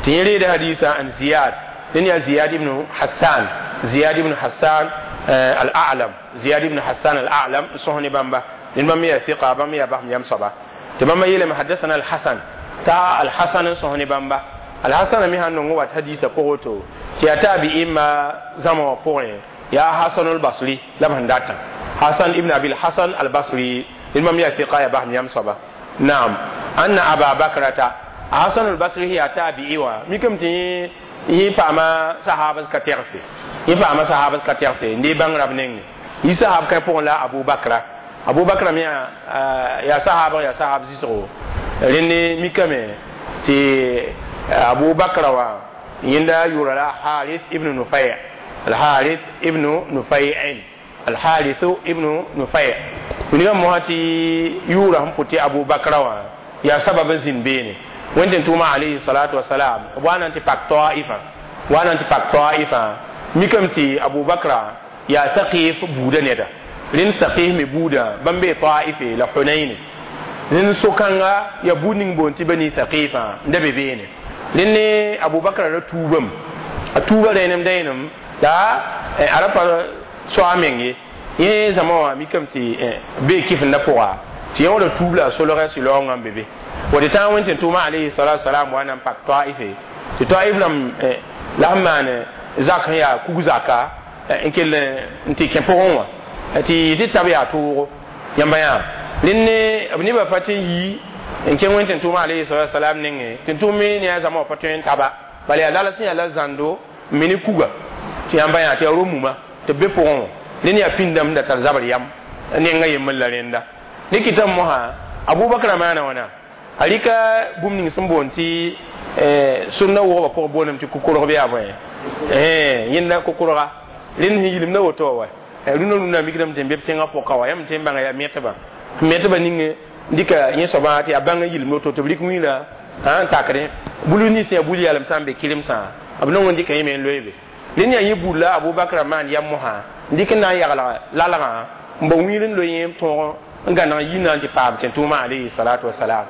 Tɩ yẽ reeda hadiisa an Ziyad, dẽn yaa Ziyad ibn Hassan, Ziyad ibn Hassan al-A'lam, Ziyad ibn Hassan al-A'lam n sõs ne bãmba. Dẽn bãmb yaa ثقة, bãmb yaa basem yam soaba. Tɩ bãmba yeelame: حدثنا الحسن, t'a Al-Hasan n sõs ne bãmba. Al-Hasan me sãn nong wat hadiisa pʋgẽ woto tɩ yaa taabi'imma zãma wã pʋgẽ yaa Hasan al-Basri la b sẽn datã, Hasan ibn Abil Hasan al-Basri. Dẽn bãmb yaa ثقة, yaa basem yam soaba. Naam, anna Aba Bakrata, Hasan al-Basri yaa taabi'i wã mikame tɩ yẽ paama sahabas ka tɛgse, yẽ paama sahabas ka tɛgse n dee bãng rab nenge yi sahab kã pʋgẽ la Abu Bakra. Abu Bakra me yaa sahaba, yaa sahab zɩsgo. Rẽnd mikame tɩ Abu Bakra wã yẽnda yʋʋra la Harith ibn Nufay, Alharith ibn Nufay'in, Alharith ibn Nufay. Wilgã mosã tɩ yʋʋra sẽn pʋ tɩ Abu Bakra wã yaa sabab n zĩnd beene Wẽnd tʋʋma alayhi salatu wasalam b wa na n tɩ pak Taifã, wa na n tɩ pak Taifã. Mikame tɩ Abu Bakra yaa Thaqif buuda neda. Rẽnd Thaqif me buudã bãmb bee Taife la Hunayn. Rẽnd so-kãnga yaa buud ning boond tɩ Bani Thaqifã n da be beene. Rẽnd ne Abu Bakra ra tuubame, a tuuba rẽenem dẽenem la a ra pa soa meng ye. Yẽ zãma wã mikame tɩ bee kɩfenda pʋga tɩ yẽ wã tuub la a solgã sɩlaoongã n be be wa tɩ tãag Wẽn tʋʋma alayhi salatu salam wa na n pak Taife tɩ Taif rãmb la sẽn maan zak sẽn yaa kug zaka n kell n tɩ kẽ pʋgẽ wã tɩ tɩ tab yaa toogo yãmba yã. Rẽnd ne b nebã pa tɩ n yi n kẽng Wẽn tʋʋma alayhi salatu salam nengẽ tɩ n tʋʋm me ne a zãma wã pa tõe n taba bala yaa lala sẽn yaa la zãndo n me ne kuga tɩ yãmba yã tɩ yaa ro-muma tɩ b be pʋgẽ wã. Rẽnd yaa pĩndame da tar zabr yam nenga yembr la rẽnda ne kɩtame mosã Abubakr maana wãna a rɩka bũmb ning sẽn boond tɩ sũnna wʋgba pʋgẽ boondame tɩ kokorg bɩ yaa bõe yẽnda kokorga rẽnd sẽn yilimda woto wa rũnã rũnã mikdame tɩ n be b tẽngã pʋka wa yãmb tɩ n bãnga yaa metbã metbã ning dɩka yẽ soabã tɩ yaa bãng n yilimd woto tɩ b rɩk wĩila n takdẽ bulu nins yaa bul yalem sã n be kɩremsã. b nong n dɩka yẽ me n loeebe rẽnd yaa yẽ buud la abubakr maan yam mosã n dɩk n na n yagl lalgã n bao wĩir n loe yẽ tõog n gãneg n yi na n tɩ paam tẽn-tʋʋmã alayhi salatu wasalam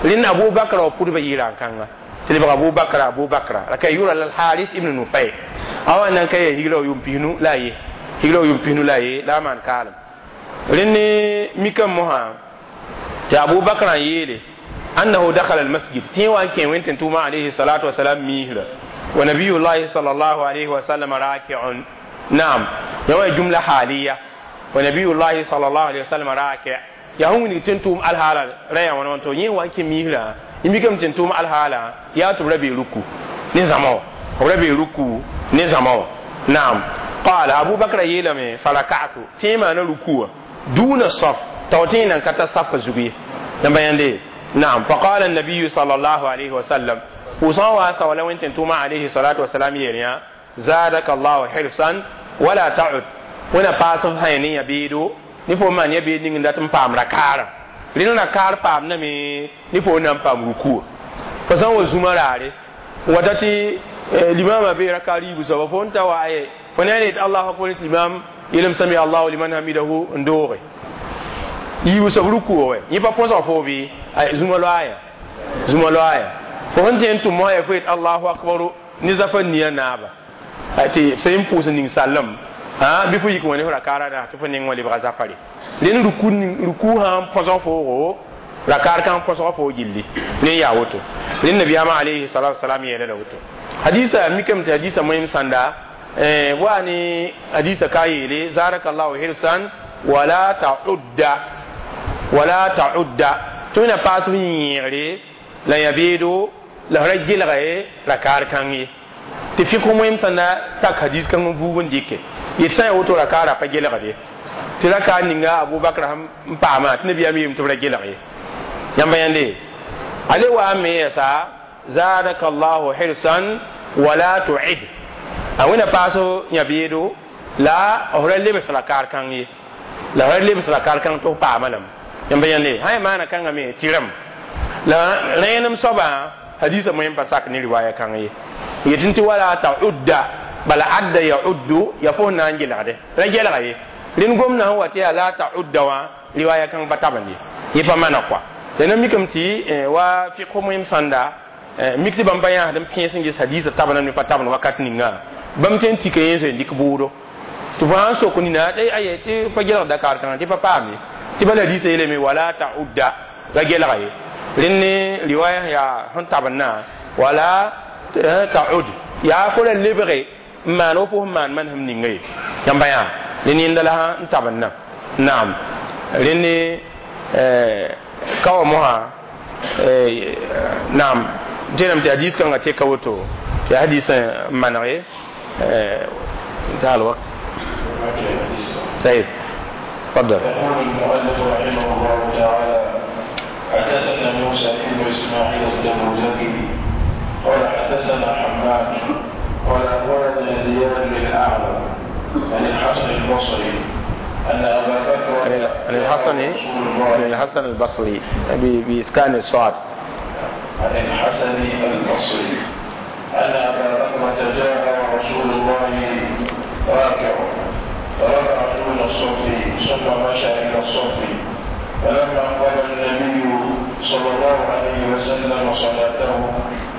rẽnd abubakr wa pʋdba yɩɩra n kãnga tɩ lebg abubakr abubakra la ka yʋra la haris ibn nufay a wa nan ka ya higra yʋʋm pisnu la a ye higra yʋʋm pisnu la a ye la a maan kaalem rẽnd mikame mosã tɩ abubakr n yeele annahu dakhala almasjid tɩ wa n kẽ wẽn tẽn-tʋʋmã alayhi salatu wasalam miisra wa nabiyullahi sallallahu alayhi wa sallam raki'un naam yawa jumla haliya wa nabiyullahi sallallahu alayhi wa sallam raki' ya sẽn wilg tẽn-tʋʋm alhaala ra yaa wãna wãn to yẽ wa n kẽ miisrã y mikame tẽn-tʋʋm alhaala yaa tɩ b ra bee ruku ne zãma wã b ra bee ruku ne zãma wã naam qala abubakr yeelame faraka'tu tɩ yẽ maana ruku wã duna saf t'a tɩ yẽ nan ka ta safa zug ye yãmba yãnde naam faqala النبي صلى الله عليه وسلم pʋʋsgã wa sawala wẽn tẽn-tʋʋmã alayhi salatu wasalam yeel yã zadaka allahu hirsan wala ta'ud wẽna paas f sã ne yã beedo ne fo maan ya beed ning n dat n paam rakaarã rẽnd rakaar paamdame ne fo na n paam rukuwa fo sã n wa zũma raare wata tɩ limama bee rakaar yiibu soaba fo n ta wa aye fo ne a yet allahu akbar tɩ limam yeelem sami allahu liman hamidahu n dooge yiibu soab rukuwa wɛ yẽ pa põsg fo bɩ zũma loaaya zũma loaaya fo sẽn tẽ n tʋm mosã ya fo yet allahu akbaru ne zafa nia naaba tɩ sẽn pʋʋs n ning sallem bɩ fo yik wã ne f rakaara na tɩ fo neng wã lebga zafare rẽnd ruku ruku sã n põsg foogo rakaar kãng põsg foo gilli rẽ yaa woto rẽnd nabiyaamã alayhi salatu wasalam yeela la woto hadisa mikame tɩ hadisa moem sãnda wa ne hadisa ka yeele zadaka llahu hirsan wala ta'udda wala ta'udda tɩ wẽna paas f yẽegre la yã beedo la f ra gelga ye rakaar kãng ye tɩ fɩk moem sãnda tak hadis kãng n vuug n dɩke yet sã n ya woto rakaara pa gelgde tɩ rakaar ninga abubakr n paama tɩ nabiyaam yeelame tɩ b ra gelg ye yãmba yãnde ale wa n me yɛsa zadaka llahu hirsan wala tu'id a wẽna paas yã beedo la f ra lebs rakaar kãng ye la f ra lebs rakaar kãng tɩ f paama lame yãmba yãnde sã ya maana kãngã me tɩrem la rẽenem soabã hadisa moem pa sak ne riwaya kãng ye yetɩ tɩ wala ta'udda bala adda yauddu ya fo na n gelgde ra gelga ye rẽnd gomdã sẽn wa tɩ yaa la ta'udda wã riwaya kãng pa tabend ye yẽ pa mana kɔa la na mikame tɩ wa fɩk moem sãnda mik tɩ bãmb pa yãasd n pẽes n ges hadisa tabname ne pa tabend wakat ninga bãmb tõe n tika yẽ zoe n dɩk bʋʋdo tɩ fo sãn sok nina aye tɩ pa gelg dakaar kãngã tɩ pa paam ye tɩ bala hadisa yeelame wala ta'udda ra gelga ye rẽnd ne riwaya yaa sẽn tabendã wala ta'ud yaa fo ra lebge n maan wo fo sẽn maan manesem ninga ye yãmba yã rẽnd yẽnda la n tabendã naam rẽnd ne ka wa mosã naam tẽename tɩ hadis kãngã teka woto tɩ hadis n maneg انتهى الوقت طيب تفضل يقول المؤلف رحمه الله تعالى حدثنا موسى بن اسماعيل التبوذكي قال حدثنا حماد قال اخبرنا زياد بن الاعلى عن الحسن البصري ان ابا بكر عن الحسن عن الحسن البصري بإسكان الصاد عن الحسن البصري أن أبا بكرة جاء ورسول الله راكع فركع دون الصف ثم مشى إلى الصف فلما قضى النبي صلى الله عليه وسلم صلاته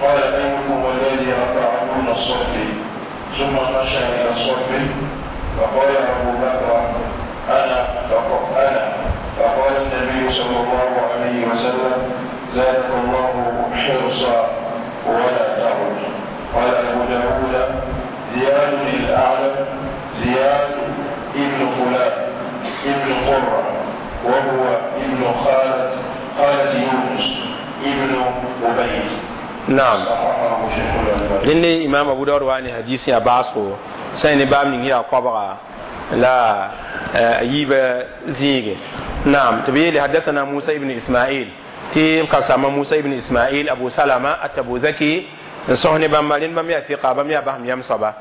قال أيكم الذي ركع دون الصف ثم مشى إلى الصف فقال أبو بكر أنا فقال أنا فقال النبي صلى الله عليه وسلم زادك الله حرصا ولا تعد قال أبو داود زياد الأعلم زياد ابن فلان ابن قرة وهو ابن خالة خالة يونس ابن عبيد نعم صححه شيخ الألباني rẽnd imam abu daud wa ne hadis ya baasgo sã ne baam ning yaa koabga la yiibã zĩige naam tɩ b yeele hadathana musa ibn ismail tɩ b ka sama musa ibn ismail abu salama atabuzaki n sõs ne bãmba rẽnd bãmb yaa fiqa bãmb yaa basem yam soaba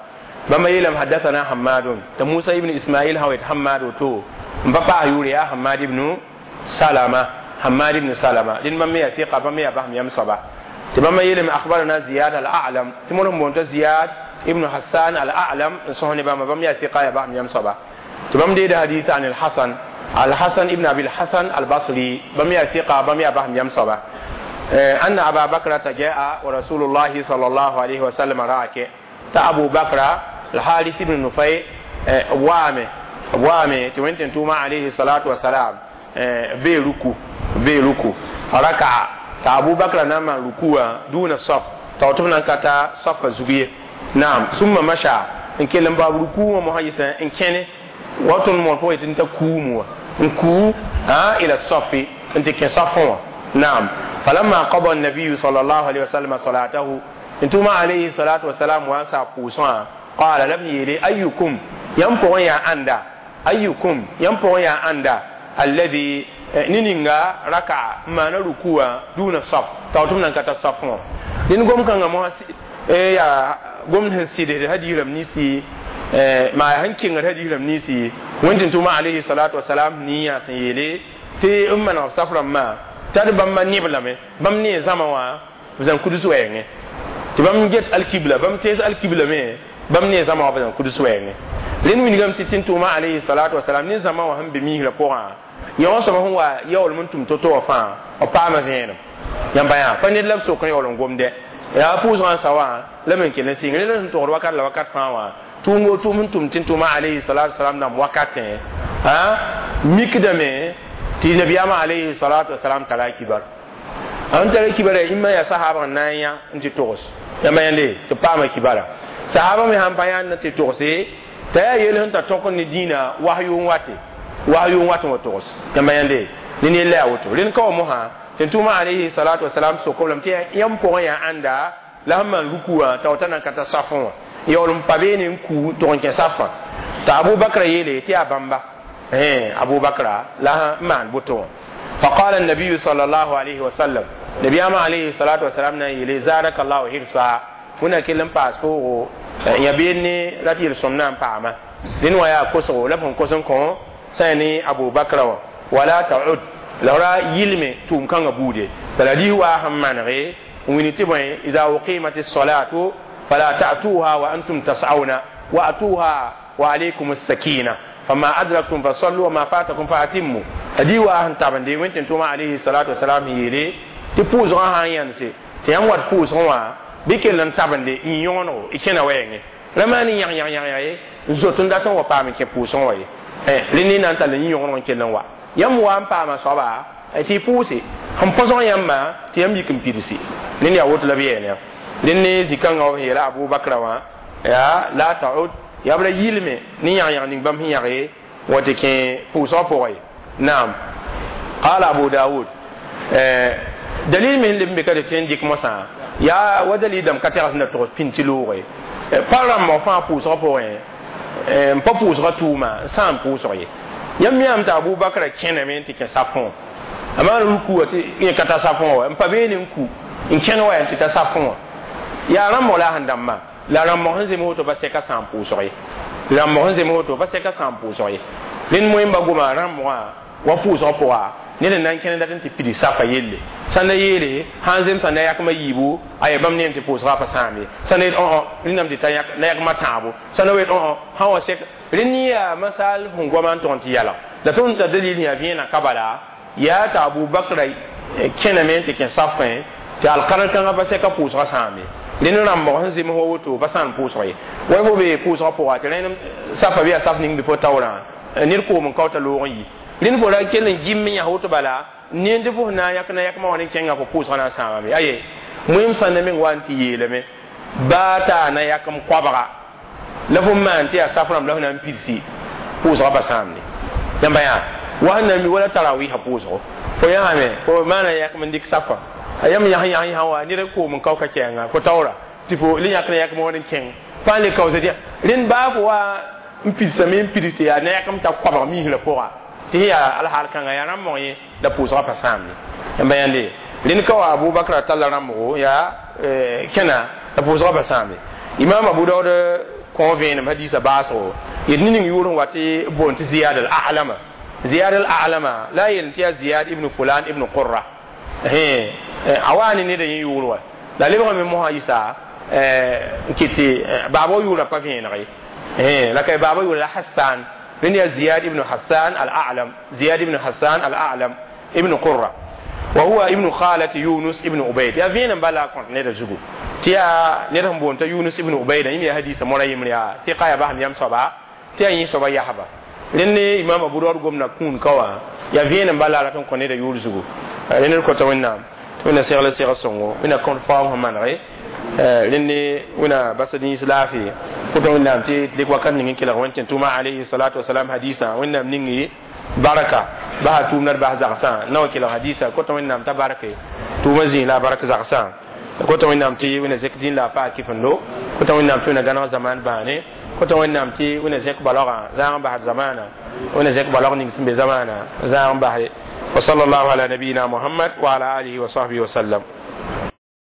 bãmba yeelame hadathana hamadun tɩ musa ibn ismail sã wet hamad woto n pa paas yʋʋre yaa hamad ibnu salama hamad ibnu salama rẽnd bãmb me yaa fiqa bãmb me yaa basem yam soaba تبما يلم أخبرنا زياد الأعلم تمرهم بونت زياد ابن حسان الأعلم سهني بما بم يا ثقة بام يم صبا تبم دي حديث عن الحسن الحسن ابن أبي الحسن البصري بم يا ثقة بم يا بام يم صبا أن أبا بكر جاء ورسول الله صلى الله عليه وسلم راك تا أبو بكر الحارث بن نفيع وامه وامه توينتن توما عليه الصلاة والسلام بيركو بيركو فركع تا أبو بكر نما ركوع دون الصف توتمنا كتا صف زغيه نعم ثم مشى إن كلم باب ركوع مهيسا إن كان واتن مورفو يتنتا كومو إن كو ها إلى الصف أنت كصفوا نعم فلما قضى النبي صلى الله عليه وسلم صلاته انتم عليه الصلاة والسلام وانسى قوسا قال لم يلي أيكم ينبغي يا أندا أيكم ينبغي يا أندا الذي نينغا ركع ما نركوع دون الصف توتم نكتا صفوا لنقوم كان ما يا قوم هنسيد هدي لم نسي ما هنكين هدي لم نسي وانت انتم عليه الصلاة والسلام نيا سيلي تي أمنا صفرا ما tari bãmb neblame bãmb ne zãma wã b zãn kuds wɛɛngẽ tɩ bãmb get alkibla bãmb tees alkibla me bãmb ne zãma wã b zãn kuds wɛɛngẽ rẽnd wilgame tɩ tɩ-tʋʋma alayhi salatu wasalam ne zãma wã sẽn be miisrã pʋgã yõ soaba sẽn wa yaoolem n tʋm to-to wã fãa b paama vẽenem yãmba yã pa ned la b sok n yaool n gomdɛ yaa pʋʋsgã n sa wã la me n kell n sɩng rẽnd sẽn togd wakat la wakat fãa wã tʋʋm tʋʋm sẽn tʋm tɩ-tʋʋma alayhi salatu wasalam dãmb wakatẽ mikdame tɩ nabiyaamã alayhi salatu wasalam tara kibar an tara kibara imma ya sahaba na n yã n tɩ togs yãmba yãnde tɩ paama kibara sahaba me sãn pa yãnd n tɩ togse t'a yaa yel sẽn ta tõk ne dĩinã wahyu n wate wahyu n wat n wa togs yãmba yãnde ne ned la yaa woto rẽnd ka wa mosã tɩ tʋʋma alayhi salatu wasalam sokom lame tɩ yãmb pʋgẽ yaa ãnda la sẽn maan ruku wã t'a wata nan ka ta safẽ wã yaool n pa beene n ku tʋg n kẽ safã t'a abu bakra yeele tɩ yaa bãmba أبو بكر لها مان بوتو فقال النبي صلى الله عليه وسلم نبي أما عليه الصلاة والسلام يلي زارك الله حرصا هنا كلم باسكو يبيني لا تيرسمنا باما لأنه يا كوسو لفهم كوسن كون سيني أبو بكر ولا تعد لورا يلمي توم كان بودي فلدي هو أهم من غي وينتبه إذا أقيمت الصلاة فلا تأتوها وأنتم تسعون وأتوها وعليكم السكينة فما أدركتم فصلوا وما فاتكم فأتموا هدي واهن تابن دي وين توما عليه الصلاة والسلام يلي تفوز غان ينسي تيام وات فوز غوا بكل تابن دي يونو إكنا وين لما ني يان يان يان يان زوتون داتون وبامي كفوز غوا إيه لني نانتا لني يونو كنا وا يم وان باما صبا تي فوزي هم فوزون يما تيام يكم بيرسي لني أوت لبيني لني زكان غوا يلا أبو بكر وا يا لا تعود ya bra yilme ni yang yang ning bam hinyage wati ke puso poy naam qala abu daud eh dalil min limbe ka de dik mosa ya wa dalil dam ka teras na to pinti loore param mo fa puso poy eh pa puso tuma sam puso ye yam yam ta abu bakra kene men ti ke safon ama ruku wati ye kata safon wa pa be ni ku in kene wa ti ta safon ya ram mola handamma la rãmb sẽn zems woto pa sɛka sã n pʋʋsg ye rãmb sẽn zems woto pa sɛka sã n pʋʋsg ye rẽnd moẽmba goma rãmbgã wa pʋʋsg pʋga ned n na n kẽne dat n tɩ pid safa yelle sãn da yeele sãn zemsã na yakmã yiibu a yaa bãmb neem tɩ pʋʋsgã pa sãam ye sãn da yet rẽndame tɩ ta na yakmã tãabo sãn da yet sã wa sɛk rẽnd yaa masal sẽn goama n tʋg n tɩ yalg la tõnd ta dalil yaa vẽenã ka bala yaa t'a abu bakra kẽname n tɩ kẽ safẽ tɩ alkarn kãngã pa sɛka pʋʋsgã sãam ye rẽnd rãmbg sẽn zems wa woto pa sãn pʋʋsg ye wa fo be pʋʋsgã pʋga tɩ rẽnd safa bɩ yaa saf ning bɩ fo taoorã ned koom n kao t'a loog n yi rẽnd fo ra kell n gim n yãs woto bala ned tɩ fo sẽn na n yãk na yakmã wã ne kẽnga fo pʋʋsgã na n sãamame aye moem sãnda meng wa n tɩ yeelame baa taa na yakem koabga la fo maan tɩ yaa saf rãmb la fo na n pidsi pʋʋsgã pa sãamde yãmba yaa wa sẽn na mi wala tarawɩɩsã pʋʋsgo fo yãame fo maana yakem n dɩk safã yam yãs yãs yãs wa ned koom n kao ka kɛɛngã fo taoora tɩ fo le yãk na yakem wã n kẽng pa n le kaoosd yã rẽnd baa fo wa n pidsame n pids tɩ yaa na yakem t'a koabg miisrã pʋga tɩ sẽn yaa alhaal kãngã yaa rãmbg yẽ la pʋʋsgã pa sãamde yãmba yãnde rẽnd ka wa abu bakra talla rãmbgo yaa kẽna la pʋʋsgã pa sãamde imam abu daood kõ vẽenem hadiisã baasgo yet ne ning yʋʋr n wa tɩ boond tɩ ziyad al alama ziyad al alama la a yel tɩ yaa ziyad ibn fulan ibn qurra a wa ne ned yẽ yʋʋr wa La lebgame mosã yisa n kɩt tɩ baaba yʋʋra pa vẽeneg ye, la ka baaba yʋʋra la Hassan. Rẽnd yaa Ziyad ibn Hassan al-A'lam, Ziyad ibn Hassan al-A'lam ibn Qurra, wa huwa ibn khalati Yunus ibn Ubayd. Yaa vẽenem bala a kõt neda zugu tɩ yaa ned sẽn boond t'a Yunus ibn Ubayda, yẽ me yaa hadiisã mora yembre, yaa tɩ yaa basem yam soaba tɩ yaa yẽ soaba yasba. Rẽnd ne Imam Abu Daud gomda kũun ka wã, yaa vẽenem bala a rat n kõ neda yʋʋr zugu. Rẽnd d kota Wẽnnaam tɩ Wẽnna segl segl sõngo, Wẽnna kõt faoog sẽn manege rẽnd ne Wẽnna bas d yĩns laafɩ. Kota Wẽnnaam tɩ dɩk wakat ning n kelg Wẽn tẽn tʋʋma alayhi salatu wasalam hadiisã, Wẽnnaam ningi baraka basa tʋʋmda d bas zagsã na wa kelg hadiisã. Kota Wẽnnaam t'a barke tʋʋmã zĩig la a bark zagsã. Kota Wẽnnaam tɩ Wẽnna zẽk dĩn la a paa kɩfendo. Kota Wẽnnaam tɩ Wẽnna gãneg zaman bãane. Kota Wẽnnaam tɩ Wẽnna zẽk balogã zãag n basd zamaana, Wẽnna zẽk balog ning sẽn be zamaana zãag n basde. Wa sallallahu ala nabiyina Muhammad wa ala alihi wa sahbihi wa sallam.